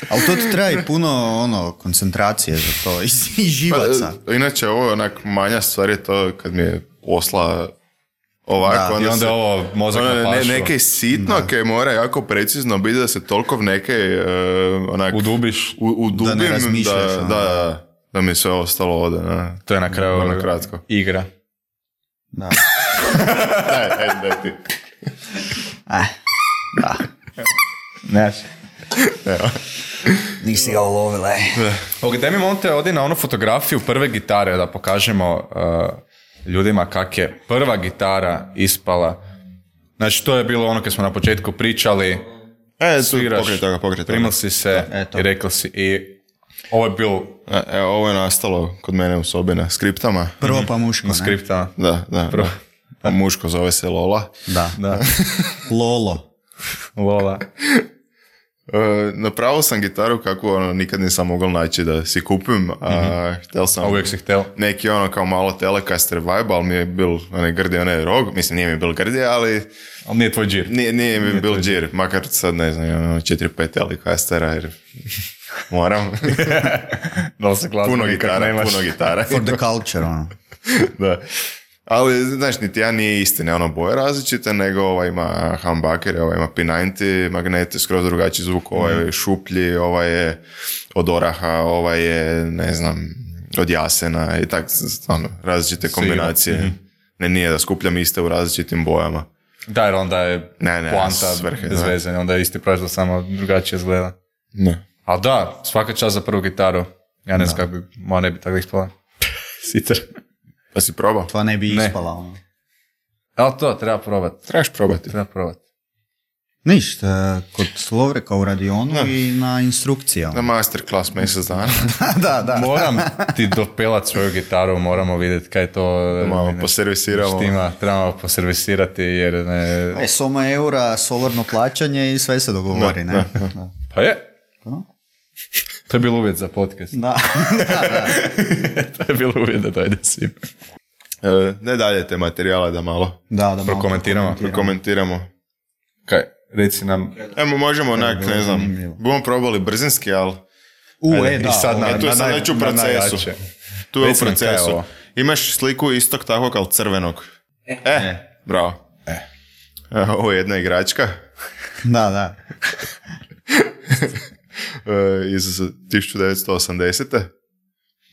Ali to ti treba i puno ono, koncentracije za to i živaca. Pa, inače, ovo je onak manja stvar je to kad mi je posla ovako. Da, onda i onda se, ovo mozak onda napašu. Ne, neke sitnoke mora jako precizno biti da se toliko neke uh, onak... Udubiš. U, udubim, da ne razmišljaš. Da, da, da, da mi sve ostalo ode. Da. To je na kraju ono kratko. Igra. Da. daj, daj, daj ti. Eh, da. Neš. Evo. Nisi ga ulovila. Ok, daj mi monte ovdje na onu fotografiju prve gitare da pokažemo uh, ljudima kak je prva gitara ispala. Znači, to je bilo ono kad smo na početku pričali. E, tu sviraš, pokraj toga, pokraj toga. primil si se eto. i rekao si i ovo je bilo E, e, ovo je nastalo kod mene u sobi na skriptama. Prvo pa muško, u ne? skriptama. Da, da. Prvo. da. A muško zove se Lola. Da. Da, Lolo. Lola. E, napravio sam gitaru kako ono, nikad nisam mogao naći da si kupim, a htjel sam A uvijek si htjel. neki ono kao malo Telecaster vibe, ali mi je bil onaj grdi onaj rog, mislim nije mi bil grdi, ali Ali nije tvoj džir. nije, nije mi bil džir, makar sad ne znam, imam četiri pet Telecastera jer moram. Da li se glazba puno nikak gitara, nemaš? puno gitara. For the culture, ono. Da. Ali, znaš, niti ja nije istine, ono boje različite, nego ova ima humbucker, ova ima P devedeset, magnete, skroz drugačiji zvuk, ovaj je šuplji, ovaj je od oraha, ovaj je, ne znam, od jasena i tak, stvarno, različite kombinacije. Mm-hmm. Ne, nije da skupljam iste u različitim bojama. Da, jer onda je Ne, ne, poanta svrhe, bez da. veze, onda je isti proizvod, samo drugačije izgleda. Ne. Ali da, svaka čast za prvu gitaru. Ja ne znam kako bi, moja ne bi tako ispala. Sicer. Pa si probao? To ne bi Ne. ispala, ono. Ali to treba probat. Trebaš probati. Treba probat. Ništa, kod Slovreka u radionu i na instrukcijama. Na masterclass mjesec dana. da, da. Moram ti dopelat svoju gitaru, moramo vidjeti kaj je to. Malo ne, poservisiramo. Štima, trebamo poservisirati jer ne... E, soma eura, solarno plaćanje i sve se dogovori, ne? Da. Pa je. Da. To je bilo uvjet za podcast. Da. To je bilo uvjet da dojde svim. E, ne dalje te materijale da malo Da, da, malo Prokomentiramo. komentiramo. Kaj, reci nam... Evo, možemo onak, bilo ne znam, zanimljivo. budemo probali brzinski, ali U, Ajde, e, da. i sad na, e, tu je na, sad naj- već u na procesu. najjače. tu je u Reci nam kaj je procesu. ovo. Imaš sliku istog takvog, ali crvenog. E, bravo. E. Ovo je jedna igračka Da, da. e, iz tisuću devetsto osamdesete.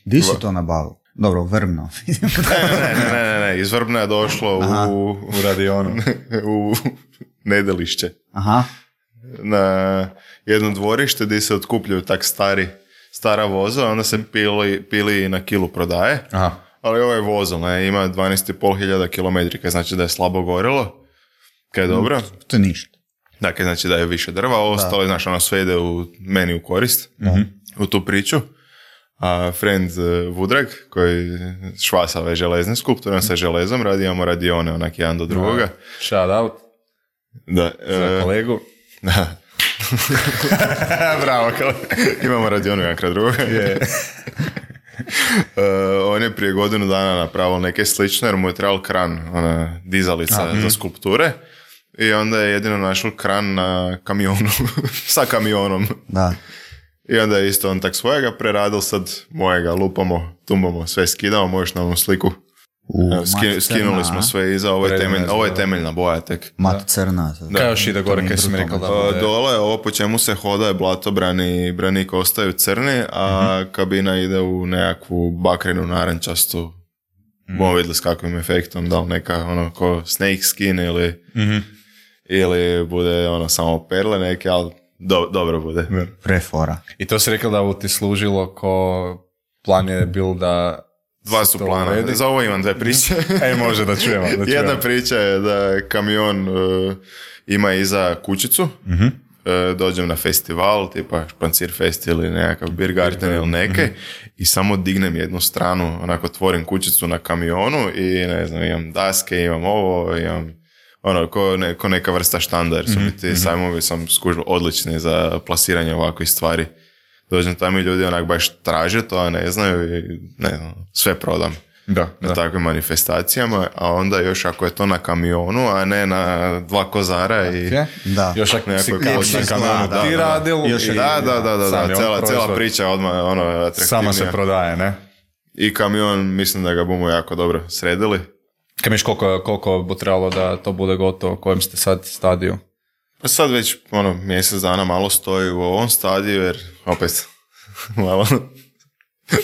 Di si to nabavio? Dobro, Vrbno. Ne, ne, ne, ne, ne, ne, iz Vrbna je došlo u, U radionu. u Nedelišće. Aha. Na jedno dvorište gdje se otkupljuju tak stari, stara voza, onda se pili, pili na kilu prodaje. Aha. Ali ovo je vozil, ne, ima dvanaest i pol hiljada kilometrika, znači da je slabo gorilo, kaj je dobro. To je ništa. Dakle, znači da je više drva, a ostalo je, znaš, ono sve ide u, meni u korist, u tu priču. A friend uh, Vudrag, koji švasa ove železne skulpture, on sa železom radi, imamo radione onak jedan do drugoga. Shout out Da, za e, kolegu. da. Bravo, kolega. Imamo radionu jedan kraj drugoga. Uh, on je prije godinu dana napravio neke slične, jer mu je trebal kran, ona dizalica A, za skulpture. I onda je jedino našao kran na kamionu, sa kamionom. Da. I onda je isto on tak svojega preradil, sad mojega lupamo, tumbamo, sve skidamo, možeš na onu sliku. U, Evo, ski- mat skinuli crna, smo a? sve iza, ovo je, Predivno temelj, je ovo je izgledalo. temeljna boja tek. Mat crna. Kaj još ide gore, kaj si mi rekao da Uh, bude? dole, ovo po čemu se hoda je blatobrani i branik ostaju crni, a kabina ide u nekakvu bakrenu narančastu. Bomo vidjeli s kakvim efektom, da li neka ono ko snake skin ili, ili bude ono samo perle neke, ali do, dobro bude. Prefora. I to si rekao da ovo ti služilo ko plan je bil da... Dva su to plana. uredi. Za ovo imam dve priče. E, može da čujemo. Da čujemo. Jedna priča je da kamion uh, ima iza kućicu. Uh, dođem na festival, tipa Špancir Fest ili nekakav Beer Garden ili neke, i samo dignem jednu stranu, onako otvorim kućicu na kamionu i ne znam, imam daske, imam ovo, imam ono, ko, ne, ko neka vrsta štanda, jer su mi ti sajmovi, sam skužio, odlični za plasiranje ovakvih stvari. Dođem tamo i ljudi onak baš traže to, a ne znaju i ne znam, sve prodam. Da, Na da. takvim manifestacijama, a onda još ako je to na kamionu, a ne na dva kozara i... Okay. Da. Još ako si Nekako kao počne na izgleda, kamionu da, ti da. radil Još je- i Da, da, da, da, sam da. je on Cijela, cijela proizvod. priča odmah ono, atraktivnija. Sama se prodaje, ne? I kamion, mislim da ga bomo jako dobro sredili. Kaj miš koliko, koliko bi trebalo da to bude gotovo, u kojem ste sad stadiju? Pa sad već ono, mjesec dana malo stoji u ovom stadiju, jer opet malo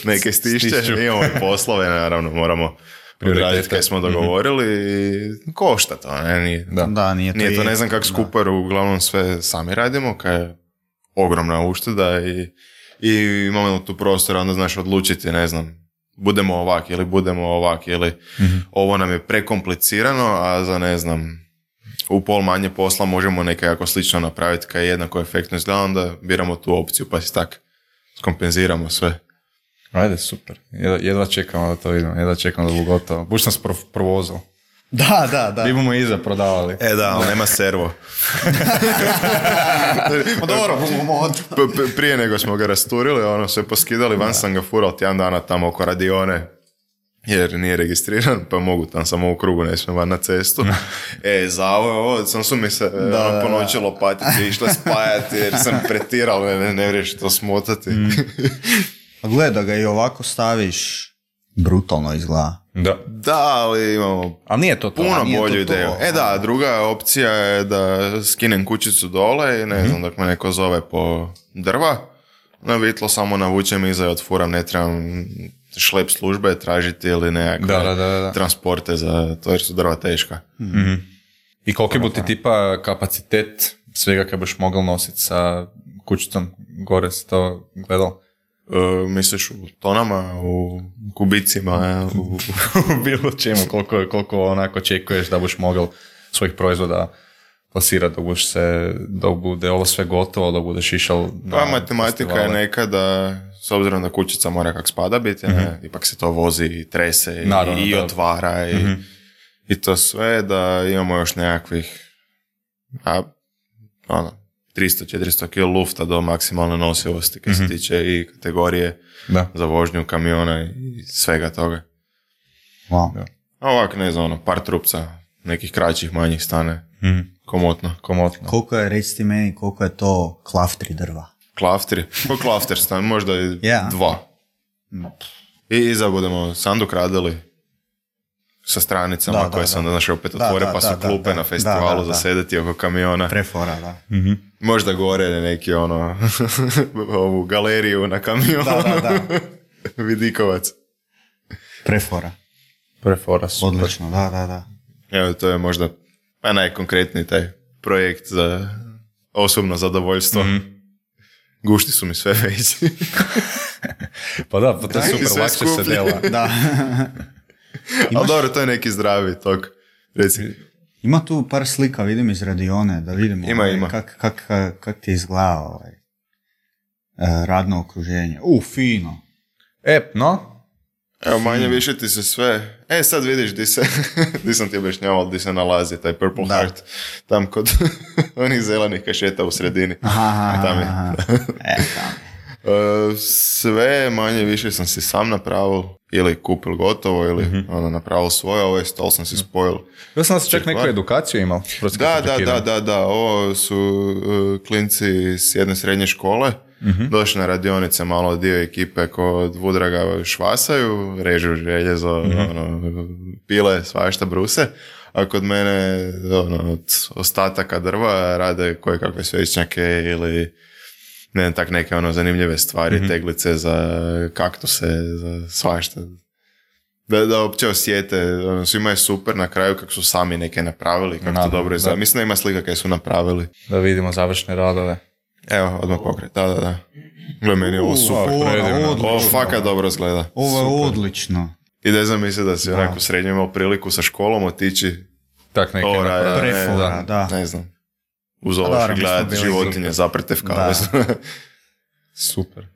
neke stišće. Stišću. Imamo i poslove, naravno, moramo Prioritete. odraditi kaj smo dogovorili i košta to, ne? Nije, Da. Da, nije to, Nije to je- ne znam kako skupo, jer uglavnom sve sami radimo, kaj je ogromna ušteda i, i imamo tu prostora, onda znaš odlučiti, ne znam, budemo ovak ili budemo ovak ili ovo nam je prekomplicirano, a za ne znam, u pol manje posla možemo nekako slično napraviti kaj jednako efektno izgleda, onda biramo tu opciju pa si tak skompenziramo sve. Ajde, super. Jedva, jedva čekamo da to vidimo, jedva čekamo da bu gotovo. Buš nas pro, provozao. Da, da, da. Bi bomo iza prodavali. E da, ali nema servo. Pa dobro, P- p- prije nego smo ga rasturili, ono, sve poskidali, van sam ga fural tjedan dana tamo oko radione, jer nije registriran, pa mogu tam samo u krugu, ne smijem van na cestu. E, za ovo, ovo, sam su mi se da, ono, po noći lopatice išle spajati, jer sam pretiral, ne, ne, ne vriješ to smotati. Mm. Pa gledaj, da ga i ovako staviš, brutalno izgleda. Da. Da, ali imamo Ali nije to to. puno nije bolju to to. ideju. E da, druga opcija je da skinem kućicu dole i ne Mhm. znam, dok me neko zove po drva, na vitlo samo navučem iza i otfuram, ne trebam šlep službe tražiti ili nekakve Da, da, da, da. transporte za to jer su drva teška. Mhm. I koliki bu ti tipa kapacitet svega kad biš mogao nositi sa kućicom gore, si to gledal? E, misliš u tonama, u kubicima, u... U bilo čemu, koliko, koliko onako očekuješ da buš mogao svojih proizvoda plasirati dok buš se, dok bude ovo sve gotovo, dok budeš išao na Pa matematika je festivale. nekada, s obzirom da kućica mora kak spada biti, ne, ipak se to vozi i trese i, Naravno, i da. otvara i, Mhm. i to sve, da imamo još nekakvih a, ono, tristo do četiristo kila lufta do maksimalne nosivosti kad se tiče i kategorije Da. za vožnju kamiona i svega toga. Wow. A ovako, ne znam, ono, par trupca, nekih kraćih, manjih stane, Mhm. komotno. Komotno. Koliko je, reci ti meni, koliko je to klaftri drva? Klaftri, po klafter stan, možda i Ja. dva. I iza budemo sanduk radili sa stranicama Da, da, koje da. sam, znaš, opet Da, otvore, da, pa su da, da, klupe da. na festivalu Da, da, za da. sedeti oko kamiona. Prefora, da. Možda gore neki, ono, ovu galeriju na kamionu. Da, da, da. Vidikovac. Prefora. Prefora, super. Odlično, da, da, da. Evo, to je možda pa najkonkretniji taj projekt za osobno zadovoljstvo. Mhm. Gušti su mi sve veći. Pa da, pa to je I super, sve lakše se skuplje. dela. Da. Ali dobro, to je neki zdravi tok. Reci. Ima tu par slika, vidim iz radione, da vidimo Ima, ovaj, ima. kak, kak, kak ti izgleda ovaj, e, radno okruženje. U, fino. E, no? Evo, manje više ti se sve... E, sad vidiš di se... di sam ti objašnjavao di se nalazi taj Purple Da. Heart. Tam kod onih zelenih kašeta u sredini. Aha, aha, Tam je. aha. E, tam. E, sve manje više sam si sam napravil ili kupil gotovo ili Mhm. ono, napravil svoje. Ovaj stol sam si spojil. Ja sam da si čak neku Stvar. edukaciju imao. protiv Da, kad da, pakiram. da, da, da. Ovo su uh, klinci s jedne srednje škole. Mhm. Došli na radionice, malo dio ekipe kod Vudraga švasaju, režu željezo, Mhm. ono, pile, svašta bruse. A kod mene ono, od ostataka drva rade koje kakve svećnjake ili ne znam, tak neke ono zanimljive stvari, Mhm. teglice za kaktuse, za svašta. Da, da uopće osjete, ono, svima je super na kraju kako su sami neke napravili, kako to Naravno, dobro izgleda. da. Mislim da ima slika kaj su napravili. Da vidimo završne radove. Evo, odmah pokret, da, da, da. Gle, meni je ovo super. Ovo, predivno. odlično. Ovo fakat dobro izgleda. Ovo je Super. odlično. I da znam misli da si onako srednje imao priliku sa školom otići, Tak neke ovo radi, naprave. ne, Prefora, da. ne znam, uz Pa ovo dobro, mi smo gledati bili životinje super. zaprte v Da. kavezu. Super.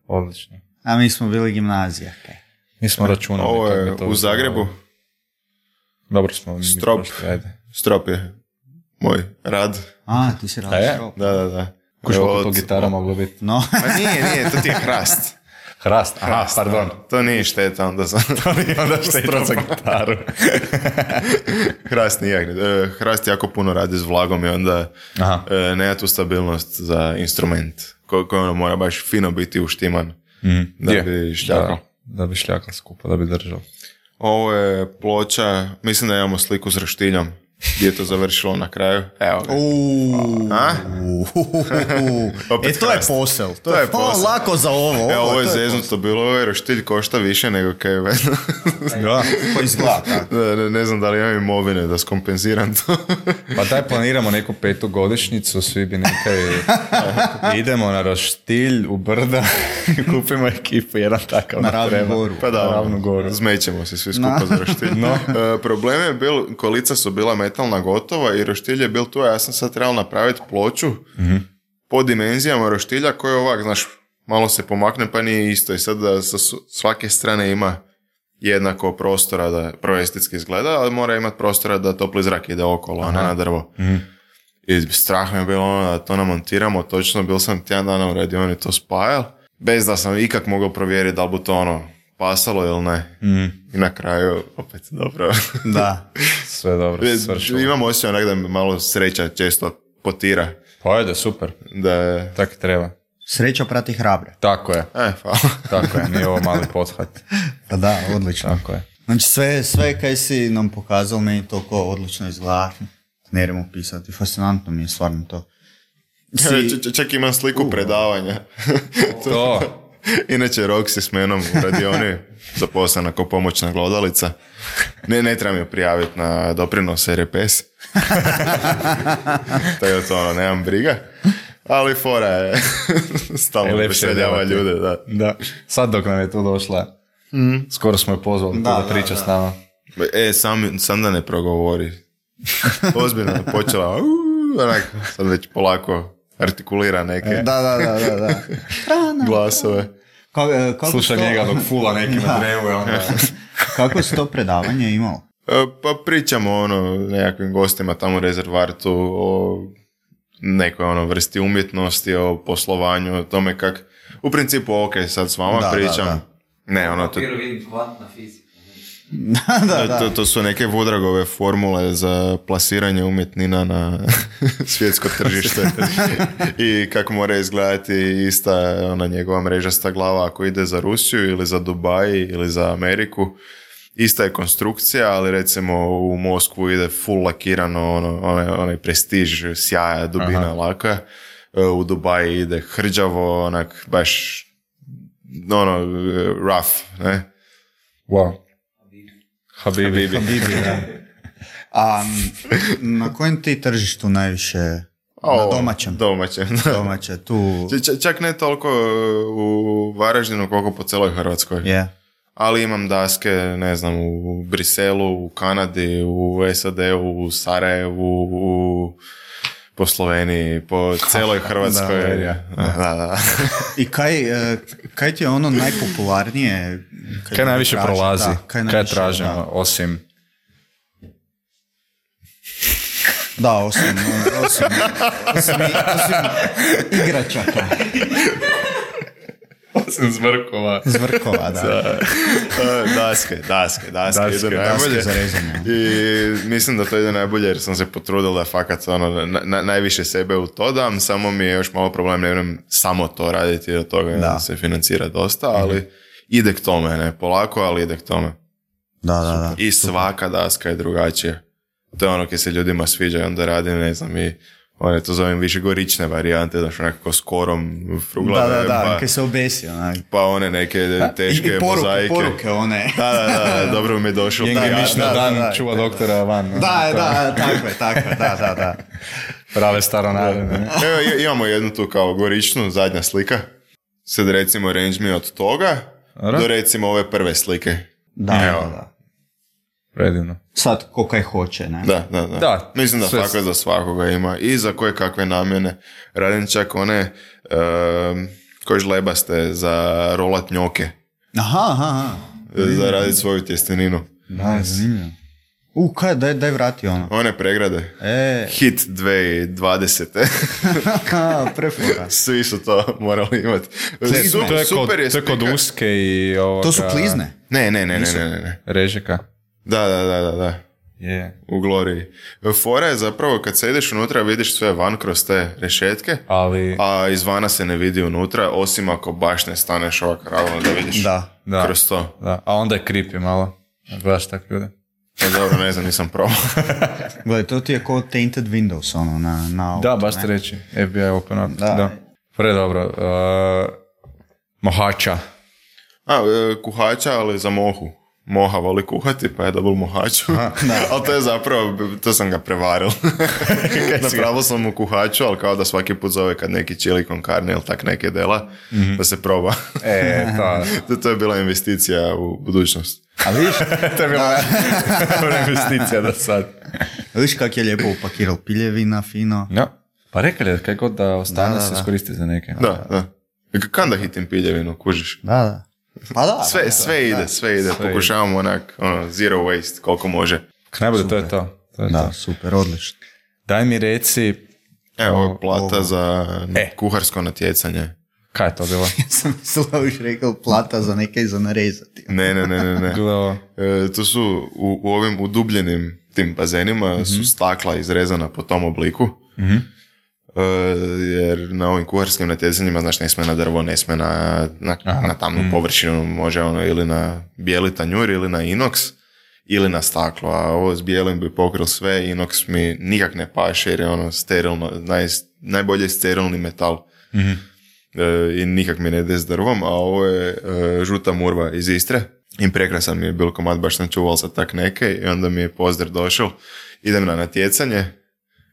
Odlično. A mi smo bili gimnazija. kaj. Mi smo računali. Ovo kako je bi to u Zagrebu, izgledalo. Dobro smo. mi Strop. prošli, ajde. strop je moj rad. A, ti si A je? radio. Da, da, da. Kuš Evo, koliko to od- gitara moglo biti. No, Pa nije, nije, to ti je hrast. Hrast, aha, Hrast, pardon. ono. To nije šteta, onda sam... Onda šteta za gitaru. Hrast nije. e, Hrast jako puno radi s vlagom i onda Aha. e, nema tu stabilnost za instrument ko- koji ono mora baš fino biti uštiman Mhm. da Je. bi šljakao. Da, da bi šljakao skupo, da bi držao. Ovo je ploča, mislim da imamo sliku s roštiljom gdje je to završilo na kraju. Evo ga. Uuu. A? Opet E, to je hrast. posel. To, To je, je posel. O, lako za ovo. Evo, ovo je to zeznuto bilo, ovaj roštilj košta više nego kaj je vedno. Da. To izgleda tako. Da, ne, ne znam da li imam imovine da skompenziram to. Pa daj planiramo neku petu godišnjicu, svi bi nekaj... Idemo na roštilj u brda, kupimo ekipu, jedan takav Na nam Ravnu treba. goru. Pa da, Na Ravnu goru. zmećemo se svi skupa za roštilj. No. E, problem je bil, kolica su bila metalna gotova i roštilj je bil tu, a ja sam sad trebao napraviti ploču mm-hmm. po dimenzijama roštilja koji ovak, znaš, malo se pomakne pa nije isto i sad da sa svake strane ima jednako prostora da prvo estetski izgleda, ali mora imati prostora da topli zrak ide okolo, a ne na drvo. Mm-hmm. I strah mi je bilo ono da to namontiramo, točno bil sam tjedan dana u radioni to spajal, bez da sam ikak mogao provjeriti da li bi to ono pasalo ili ne. Mm. I na kraju opet dobro. Da. Sve dobro, svršilo. Imam osjećaj onak da mi malo sreća često potira. Pa ajde, super. Da. Tako treba. Sreća prati hrabre. Tako je. E, hvala. Tako je, nije ovo mali pothvat. Pa da, odlično. Tako je. Znači sve, sve kaj si nam pokazal, meni toliko odlično izgleda. Ne idemo pisati, fascinantno mi je stvarno to. Si... Č- č- čak imam sliku uh. predavanja. To. Inače, Roxy s menom u radioni zaposlena kao pomoćna glodalica. Ne, ne treba mi prijaviti na doprinos R P S. Tako je to ono, nemam briga. Ali fora je stalno preseljava ljude. Da. Da. Sad dok nam je tu došla, mm. skoro smo je pozvali da, da, da priča da. s nama. E, sam, sam da ne progovori. Ozbiljno je počela, uh, onak, sad već polako artikulira neke da, da, da, da, da. glasove. Ka, Sluša to... njega dok fula nekime drevuje. Onda... Kako si to predavanje imao? Pa pričamo ono nekakvim gostima tamo u rezervartu o nekoj ono vrsti umjetnosti, o poslovanju, o tome kak... U principu, ok, sad s vama da, pričam. Da, da. Ne, ono... To... vidim kvantna fizika. da, da, da. To, to su neke Woodragove formule za plasiranje umjetnina na svjetsko tržište i kako mora izgledati ista ona njegova mrežasta glava ako ide za Rusiju ili za Dubaj ili za Ameriku. Ista je konstrukcija, ali recimo u Moskvu ide full lakirano, ono, onaj, onaj prestiž, sjaja, dubina, aha, laka. U Dubaji ide hrđavo, onak baš ono, rough, ne? Wow. Habibi. Habibi, da. A na kojem ti tržištu najviše? O, na domaćem? Domaćem. Domaće, tu... Č- čak ne toliko u Varaždinu koliko po celoj Hrvatskoj. Yeah. Ali imam daske, ne znam, u Briselu, u Kanadi, u S A D-u, u Sarajevu, u... po Sloveniji, po celoj Hrvatskoj. Da, da, da. da. I kaj, kaj ti je ono najpopularnije? Kaj, kaj najviše traži, prolazi? Da, kaj, najviše, kaj tražimo, da. osim... Da, osim, osim, osim, osim igračaka. Osim zvrkova. Zvrkova, da. daske, daske, daske. Daske, ide daske za rezanje. I mislim da to ide najbolje jer sam se potrudil da fakat ono, na, na, najviše sebe u to dam, samo mi je još malo problem, ne vjerujem samo to raditi, od toga da. se financira dosta, ali mm-hmm. ide k tome, ne, polako, ali ide k tome. Da, da, da. I svaka daska je drugačija. To je ono kad se ljudima sviđa i onda radim, ne znam, i one to zovem više gorične varijante, znaš, nekako s korom fruglave. Da, da, da, pa, kaj se obesi, onak. Pa one neke teške I, i poruke, mozaike. poruke one. Da, da, da, dobro mi je došlo. Njenge miš na dan da, čuva da, doktora van. Da, da, da, tako je, tako je, da, da, da. Prave staronarine. Evo, imamo jednu tu kao goričnu, zadnja slika. Sad recimo range mi od toga Ara? do recimo ove prve slike. Da, evo. Da, da. Predivno. Sad ko kaj hoće, ne? Da, da, da. da Mislim da sve... tako za svakoga ima. I za koje kakve namjene. Radim čak one um, koje žlebaste za rolat njoke. Aha, aha. Za raditi svoju tjesteninu. Da, zanimljivo. U, kaj, daj, daj vrati ono. One pregrade. E. Hit dvije tisuće dvadesete. Prefora. Svi su to morali imati. Su, to je super kod, je to je kod uske i ovoga... To su klizne? Ne, ne, ne, ne, ne, ne. Režika. Da, da, da, da, da. Yeah. U Gloriji. Fora je zapravo kad se ideš unutra vidiš sve van kroz te rešetke, ali... a izvana se ne vidi unutra, osim ako baš ne staneš ovak ravno da vidiš da, da, kroz to. Da. A onda je creepy malo. Gledaš tak ljude. Ja, dobro, ne znam, nisam probao. Gledaj, to ti je kao tainted windows, ono, na, na auto. Da, baš ti reći. F B I open up. Da. da. Pre dobro. Uh, mohača. A, kuhača, ali za mohu. Moha voli kuhati, pa je dobil mohaču. Ali to je zapravo, to sam ga prevaril. Napravil sam mu kuhaču, ali kao da svaki put zove kad neki chili con carne ili tak neke dela, mm-hmm. da se proba. E, to. to je bila investicija u budućnost. A viš? To je bila investicija do sad. Viš kak je lijepo upakiral piljevina, fino. Ja. Pa rekao je, kaj god da ostane Da, da, se da. iskoristi za neke. Da, da. Kanda hitim piljevinu, kužiš. Da, da. Pa da. Sve, da, sve da, ide, da. sve ide. Sve Pokušavamo onak, ono, zero waste, koliko može. Najbolje, to je to. to, je Da, to. super, odlično. Daj mi reci, Evo, ovo je plata ovo. za E. kuharsko natjecanje. kaj je to bilo? Ja sam mislila da biš rekao plata za neke za narezati. Ne, ne, ne, ne, ne. Bilo je ovo. E, to su u, u ovim udubljenim tim bazenima Mhm. su stakla izrezana po tom obliku. E, jer na ovim kuharskim natjecanjima, znaš, ne sme na drvo, ne sme na, na, na tamnu Mhm. površinu, može ono ili na bijeli tanjur ili na inox ili na staklo, a ovo s bijelim bi pokril sve, inox mi nikak ne paše jer je ono sterilno, naj, najbolje sterilni metal. Mhm. E, i nikak mi ne ide s drvom, a ovo je e, žuta murva iz Istre i prekrasan mi je bil komad, baš sam čuval za tak neke i onda mi je pozdrav došao, idem na natjecanje,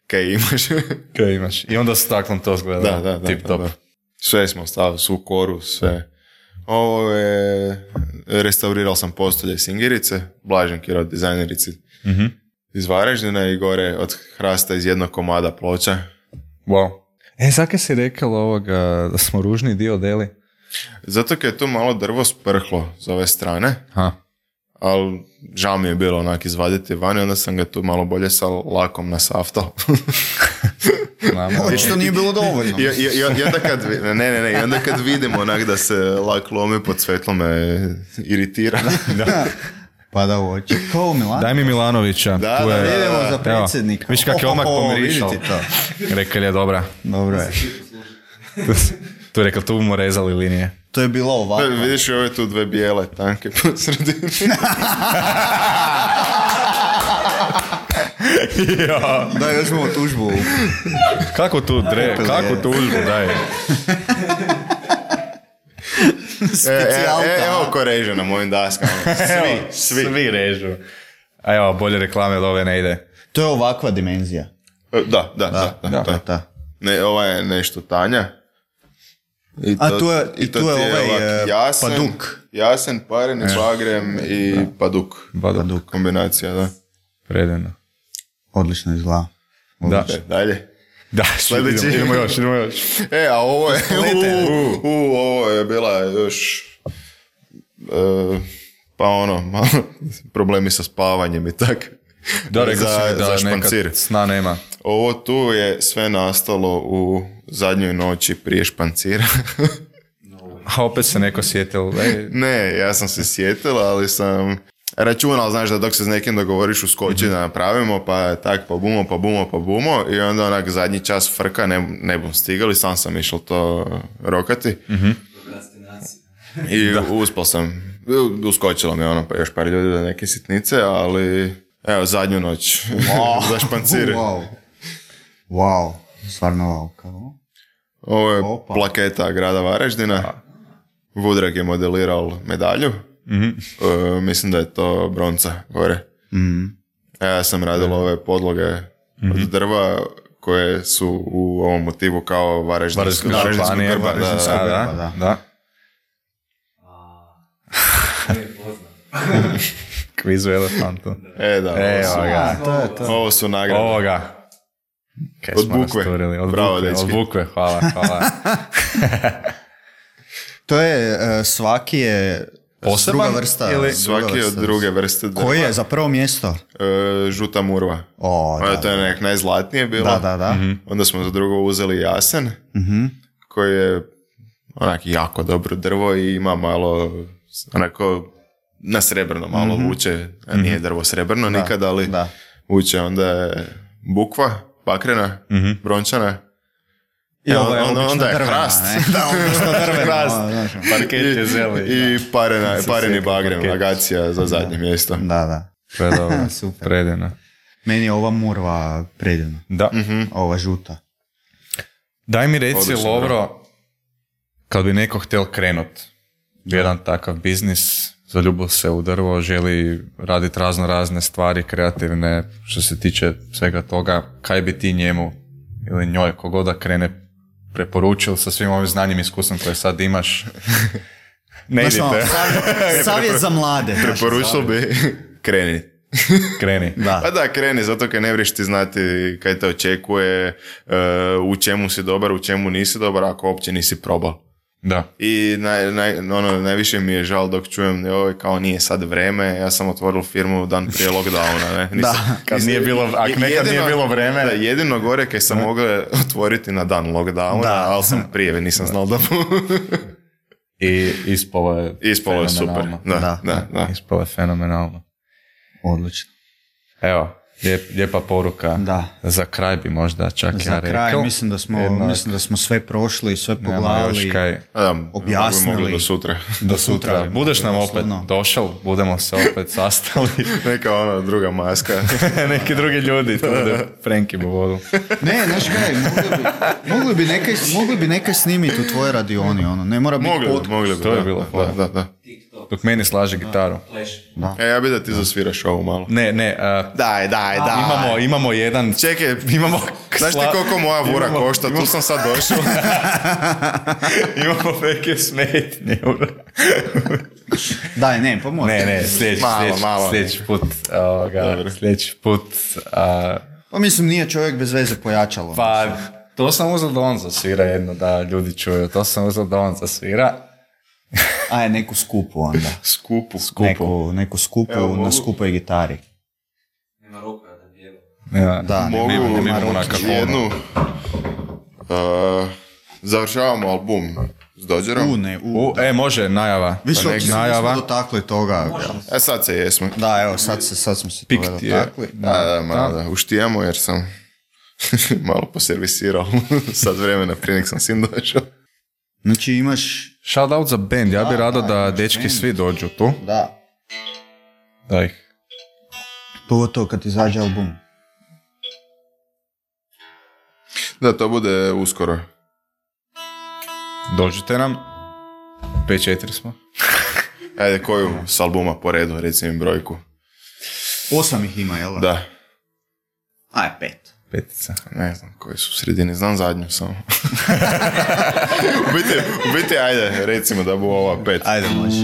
kaj imaš? Kaj imaš? I onda staklom to zgleda. da, da, da, Tip da, top. da. Sve smo stavili, svu koru, sve. Ovo je, restaurirao sam postolje Singirice, Blažen Kirot, dizajnerici Mhm. iz Varaždina i gore od hrasta iz jednog komada ploča. Wow. E, zake si rekao ovoga da smo ružni dio deli? Zato kad je to malo drvo sprhlo s ove strane, Ha. ali žao mi je bilo onak izvaditi van i onda sam ga tu malo bolje sa lakom nasaftao. Znamo. Već to nije bilo dovoljno. I, i, i, i onda kad, vi- ne, ne, ne, i onda kad vidim onak da se lak lomi pod svjetlo me iritira. Pa da u oči. Ko Milan? Daj mi Milanovića. Da, tu da, je, da, Idemo da. za predsjednika. Viš kak je odmah O, o, o, pomirišao. vidite to. Rekao je dobra. Dobro je. Tu je rekao, tu bomo rezali linije. To je bilo ovako. Vidiš i ove tu dve bijele tanke po sredini. Ja. Da, još imamo tužbu. Kako tu dre, kako tužbu, daj. E, e, e, evo ko reže na mojim daskama. Svi, svi. Svi režu. A evo, bolje reklame od ove ne ide. To je ovakva dimenzija. E, Da, da, da. da, Da, da. da. Ne, ova je nešto tanja. I A tu je- i i tu to je ti ovaj, ovak e, jasen, paduk. Jasen, pareni, bagrem i paduk. Baduk. Kombinacija, da. Predivno. Odlično izgleda. Da. E, dalje. Da, Sljedeći. idemo, idemo još, idemo još. E, a ovo je, u, u, u, ovo je bila još, e, pa ono, malo problemi sa spavanjem i tak. Da, rekao za, si mi da za špancir. nekad sna nema. Ovo tu je sve nastalo u zadnjoj noći prije špancira. A opet se neko sjetil. Ej, Ne, ja sam se sjetila, ali sam računal, znaš, da dok se s nekim dogovoriš u skoči da napravimo, pa tak, pa bumo, pa bumo, pa bumo, i onda onak zadnji čas frka, ne, ne bom stigali, sam sam išao to rokati. Prokrastinacija. I uspio sam, uskočilo mi ono, pa još par ljudi da neke sitnice, ali evo, zadnju noć za špancire. Wow. Wow. Stvarno wow. Kao? Ovo je Opa. plaketa grada Varaždina. Vudrag je modelirao medalju. E, mislim da je to bronca gore. Ja sam radil ove podloge od drva koje su u ovom motivu kao Varaždinska Varaždinsko Varaždinsko županija, grba. Da, Varaždinska da, grba, da. da, da. To je poznat. Kvizu elefantu. E, da, ovo Evo su, ga. To je to. ovo su nagrade. Ovoga. Kaj Od smo bukve. rasturili, Od Bravo, bukve, od dečki. bukve, hvala, hvala. To je, e, svaki je Poseban druga vrsta. ili- druga Svaki od vrsta. druge vrste drva. Koji je za prvo mjesto? E, žuta murva. O, Ono, da, to je nek najzlatnije bilo. da, da, da. Onda smo za drugo uzeli jasen, Mhm. koji je onak jako dobro drvo i ima malo onako na srebrno malo vuče, a nije drvo srebrno nikad, ali da. vuče. Onda je bukva, bakrena, brončana. I E, ovo je onda, obično onda je drvena, hrast. ne? Da, obično drvena. Hrast. ono, znaš. Parket je zeli. I parena, pareni sjetim bagrem, parket. agacija za zadnje mjesto. Da, da. Predobro, Super. predivno. Meni je ova murva predivna. Da. Ova žuta. Daj mi reci, Odlično, Lovro, kad bi neko htjel krenut u jedan takav biznis, zaljubio se u drvo, želi raditi razno razne stvari kreativne što se tiče svega toga, kaj bi ti njemu ili njoj, kogod da krene, preporučil sa svim ovim znanjem i iskustvom koje sad imaš? Ne Znaš, ono, idite. savjet, savjet za mlade. znaš, Preporučio bi kreni. Kreni. Da. Pa da, kreni, zato kaj ne vriješ ti znati kaj te očekuje, uh, u čemu si dobar, u čemu nisi dobar, ako uopće nisi probao. Da. I naj, naj, ono, najviše mi je žal dok čujem da ovo kao nije sad vreme, ja sam otvoril firmu dan prije lockdowna. Ne? Nisam, Da. Kad nije bilo, ako nekad nije bilo vreme. Da, jedino gore kaj sam mogao otvoriti na dan lockdowna, Da. ali sam prije, nisam znal da I ispalo je ispalo je super. fenomenalno. Da, Da. da, da. Ispalo je fenomenalno. Odlično. Evo, lijep, lijepa poruka. Da. Za kraj bi možda čak Za ja kraj rekao. mislim da smo, Jednak. mislim da smo sve prošli, sve Nema još pogledali. kaj. A da, Objasnili. mogli do sutra. Do sutra. bi Budeš nam mogli, opet doslovno. došao, budemo se opet sastali. Neka ona druga maska. Neki drugi ljudi, to bude Frenki bu vodu. Ne, znaš kaj, mogli bi, mogli bi nekaj, mogli bi nekaj snimiti u tvojoj radioni, ono, ne mora biti Mogli bi, podcast. mogli bi. To je da, bilo da, fora. da, da. TikTok, Dok meni slaže gitaru. Flash. E, ja bi da ti zasviraš ovo malo. Ne, ne, a, Daj, daj, daj. imamo, imamo jedan... Čekaj, Imamo... znaš ti koliko moja vura Imamo- košta? Tu sam sad došao. Imamo neke smetnje. Daj, ne, pomoći. Ne, ne, sljedeći, Malo, sljedeći, malo. sljedeći put, ovoga, sljedeći put, a, Pa mislim, nije čovjek bez veze pojačalo. pa to sam uzeo da on zasvira jedno, da ljudi čuju, to sam uzeo da on zasvira. Aj, neku skupu onda. Skupu. Neku, neku skupu Evo, mogu- na skupoj gitari. Nema ruka da bijelo. Ja, Da, Mogu nema, nema imamo na ruke. kakonu. jednu... Uh, završavamo album s Dodgerom. U, ne, u. U, e, može, najava. Više Pa uopće nek- se najava. nismo dotakli toga. E sad se jesmo. Da, evo, sad, se, sad smo se Pik toga ti je. dotakli. Da, da, malo da uštijamo jer sam malo poservisirao sad vremena prije nek sam sin došao. Znači imaš, Shout out za band, ja bi Da, rado da, da imaš dečki band. svi dođu tu. da, Da ih. pogotovo kad izađe album. Da, to bude uskoro. Dođite nam. pet četiri smo. Ajde, koju s albuma po redu, reci mi brojku. Osam ih ima, jel? Da, Aj, pet. Petica. ne znam koji su u sredini, znam zadnju samo. u, biti, u biti, ajde, recimo da bu ova pet. Ajde, može.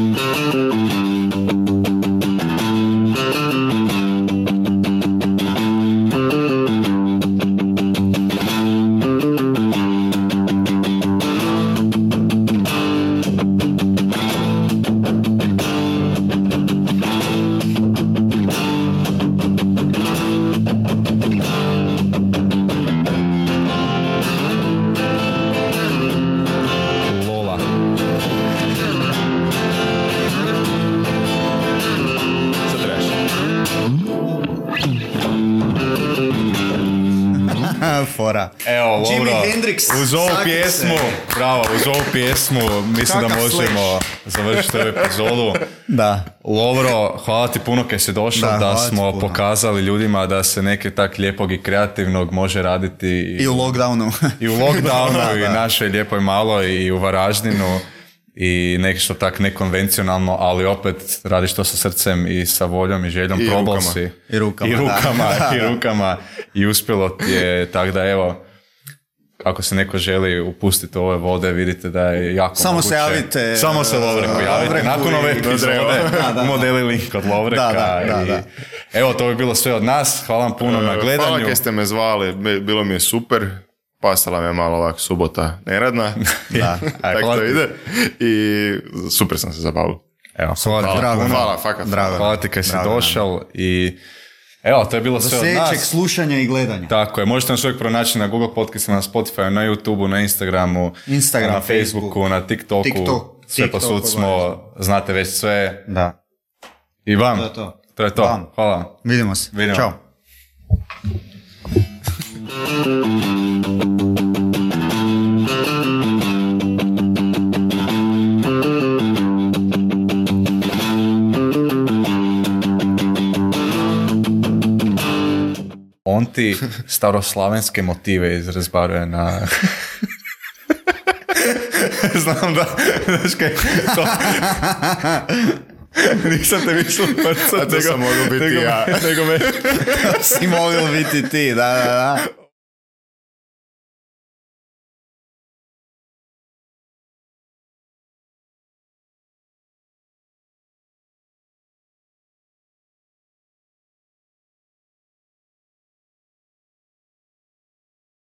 Lola. Sad trebaš. Fora. Evo, Lovro, Jimi Hendrix, uz ovu sakri pjesmu, se. bravo, uz ovu pjesmu, mislim da Kakav možemo završiti ovu epizodu. Da. Lovro, hvala ti puno kaj si došao, Da, da, hvala ti smo puno. pokazali ljudima da se neke tak lijepog i kreativnog može raditi i, I u lockdownu. i u lockdownu, Da, i da. našoj lijepoj maloj, i u Varaždinu, i nešto tak nekonvencionalno, ali opet radiš to sa srcem i sa voljom i željom, I probao rukama. si. I rukama, I da. rukama, Da, i da. rukama, i uspjelo ti je, tako da evo, ako se neko želi upustiti u ove vode, vidite da je jako Samo moguće. se javite, Samo se Lovreku uh, javite. Lovreku Nakon ove i- epizode Da, da. modeli link kod Lovreka. Da, da, da, i- da. Evo, to bi bilo sve od nas. Hvala vam puno na Hvala gledanju. kaj ste me zvali, bi- bilo mi je super. Pasala me malo ovak subota neradna. Da. Aj, Tako hvala to ti. ide. I super sam se zabavio. Evo, hvala ti. Drago nam. Hvala, fakat. Drago. Hvala ti kaj si Drago nam. došao i evo, to je bilo Do sve od sljedećeg nas. slušanja i gledanja. Tako je, možete nas uvijek pronaći na Google podcastima, na Spotify, na YouTubeu, na Instagramu, Instagram, na Facebooku, Facebook, na TikToku, TikTok, sve TikTok, posud smo, znate već sve. Da. I vam, To je to. to je to. Vam. Hvala. Vidimo se. Vidimo. Ćao. On ti staroslavenske motive izrazbaruje na... Znam da, znaš kaj, to... Nisam te mislio prcat, A to sam mogao biti nego, ja. nego me... Si mogao biti ti, da, da, da.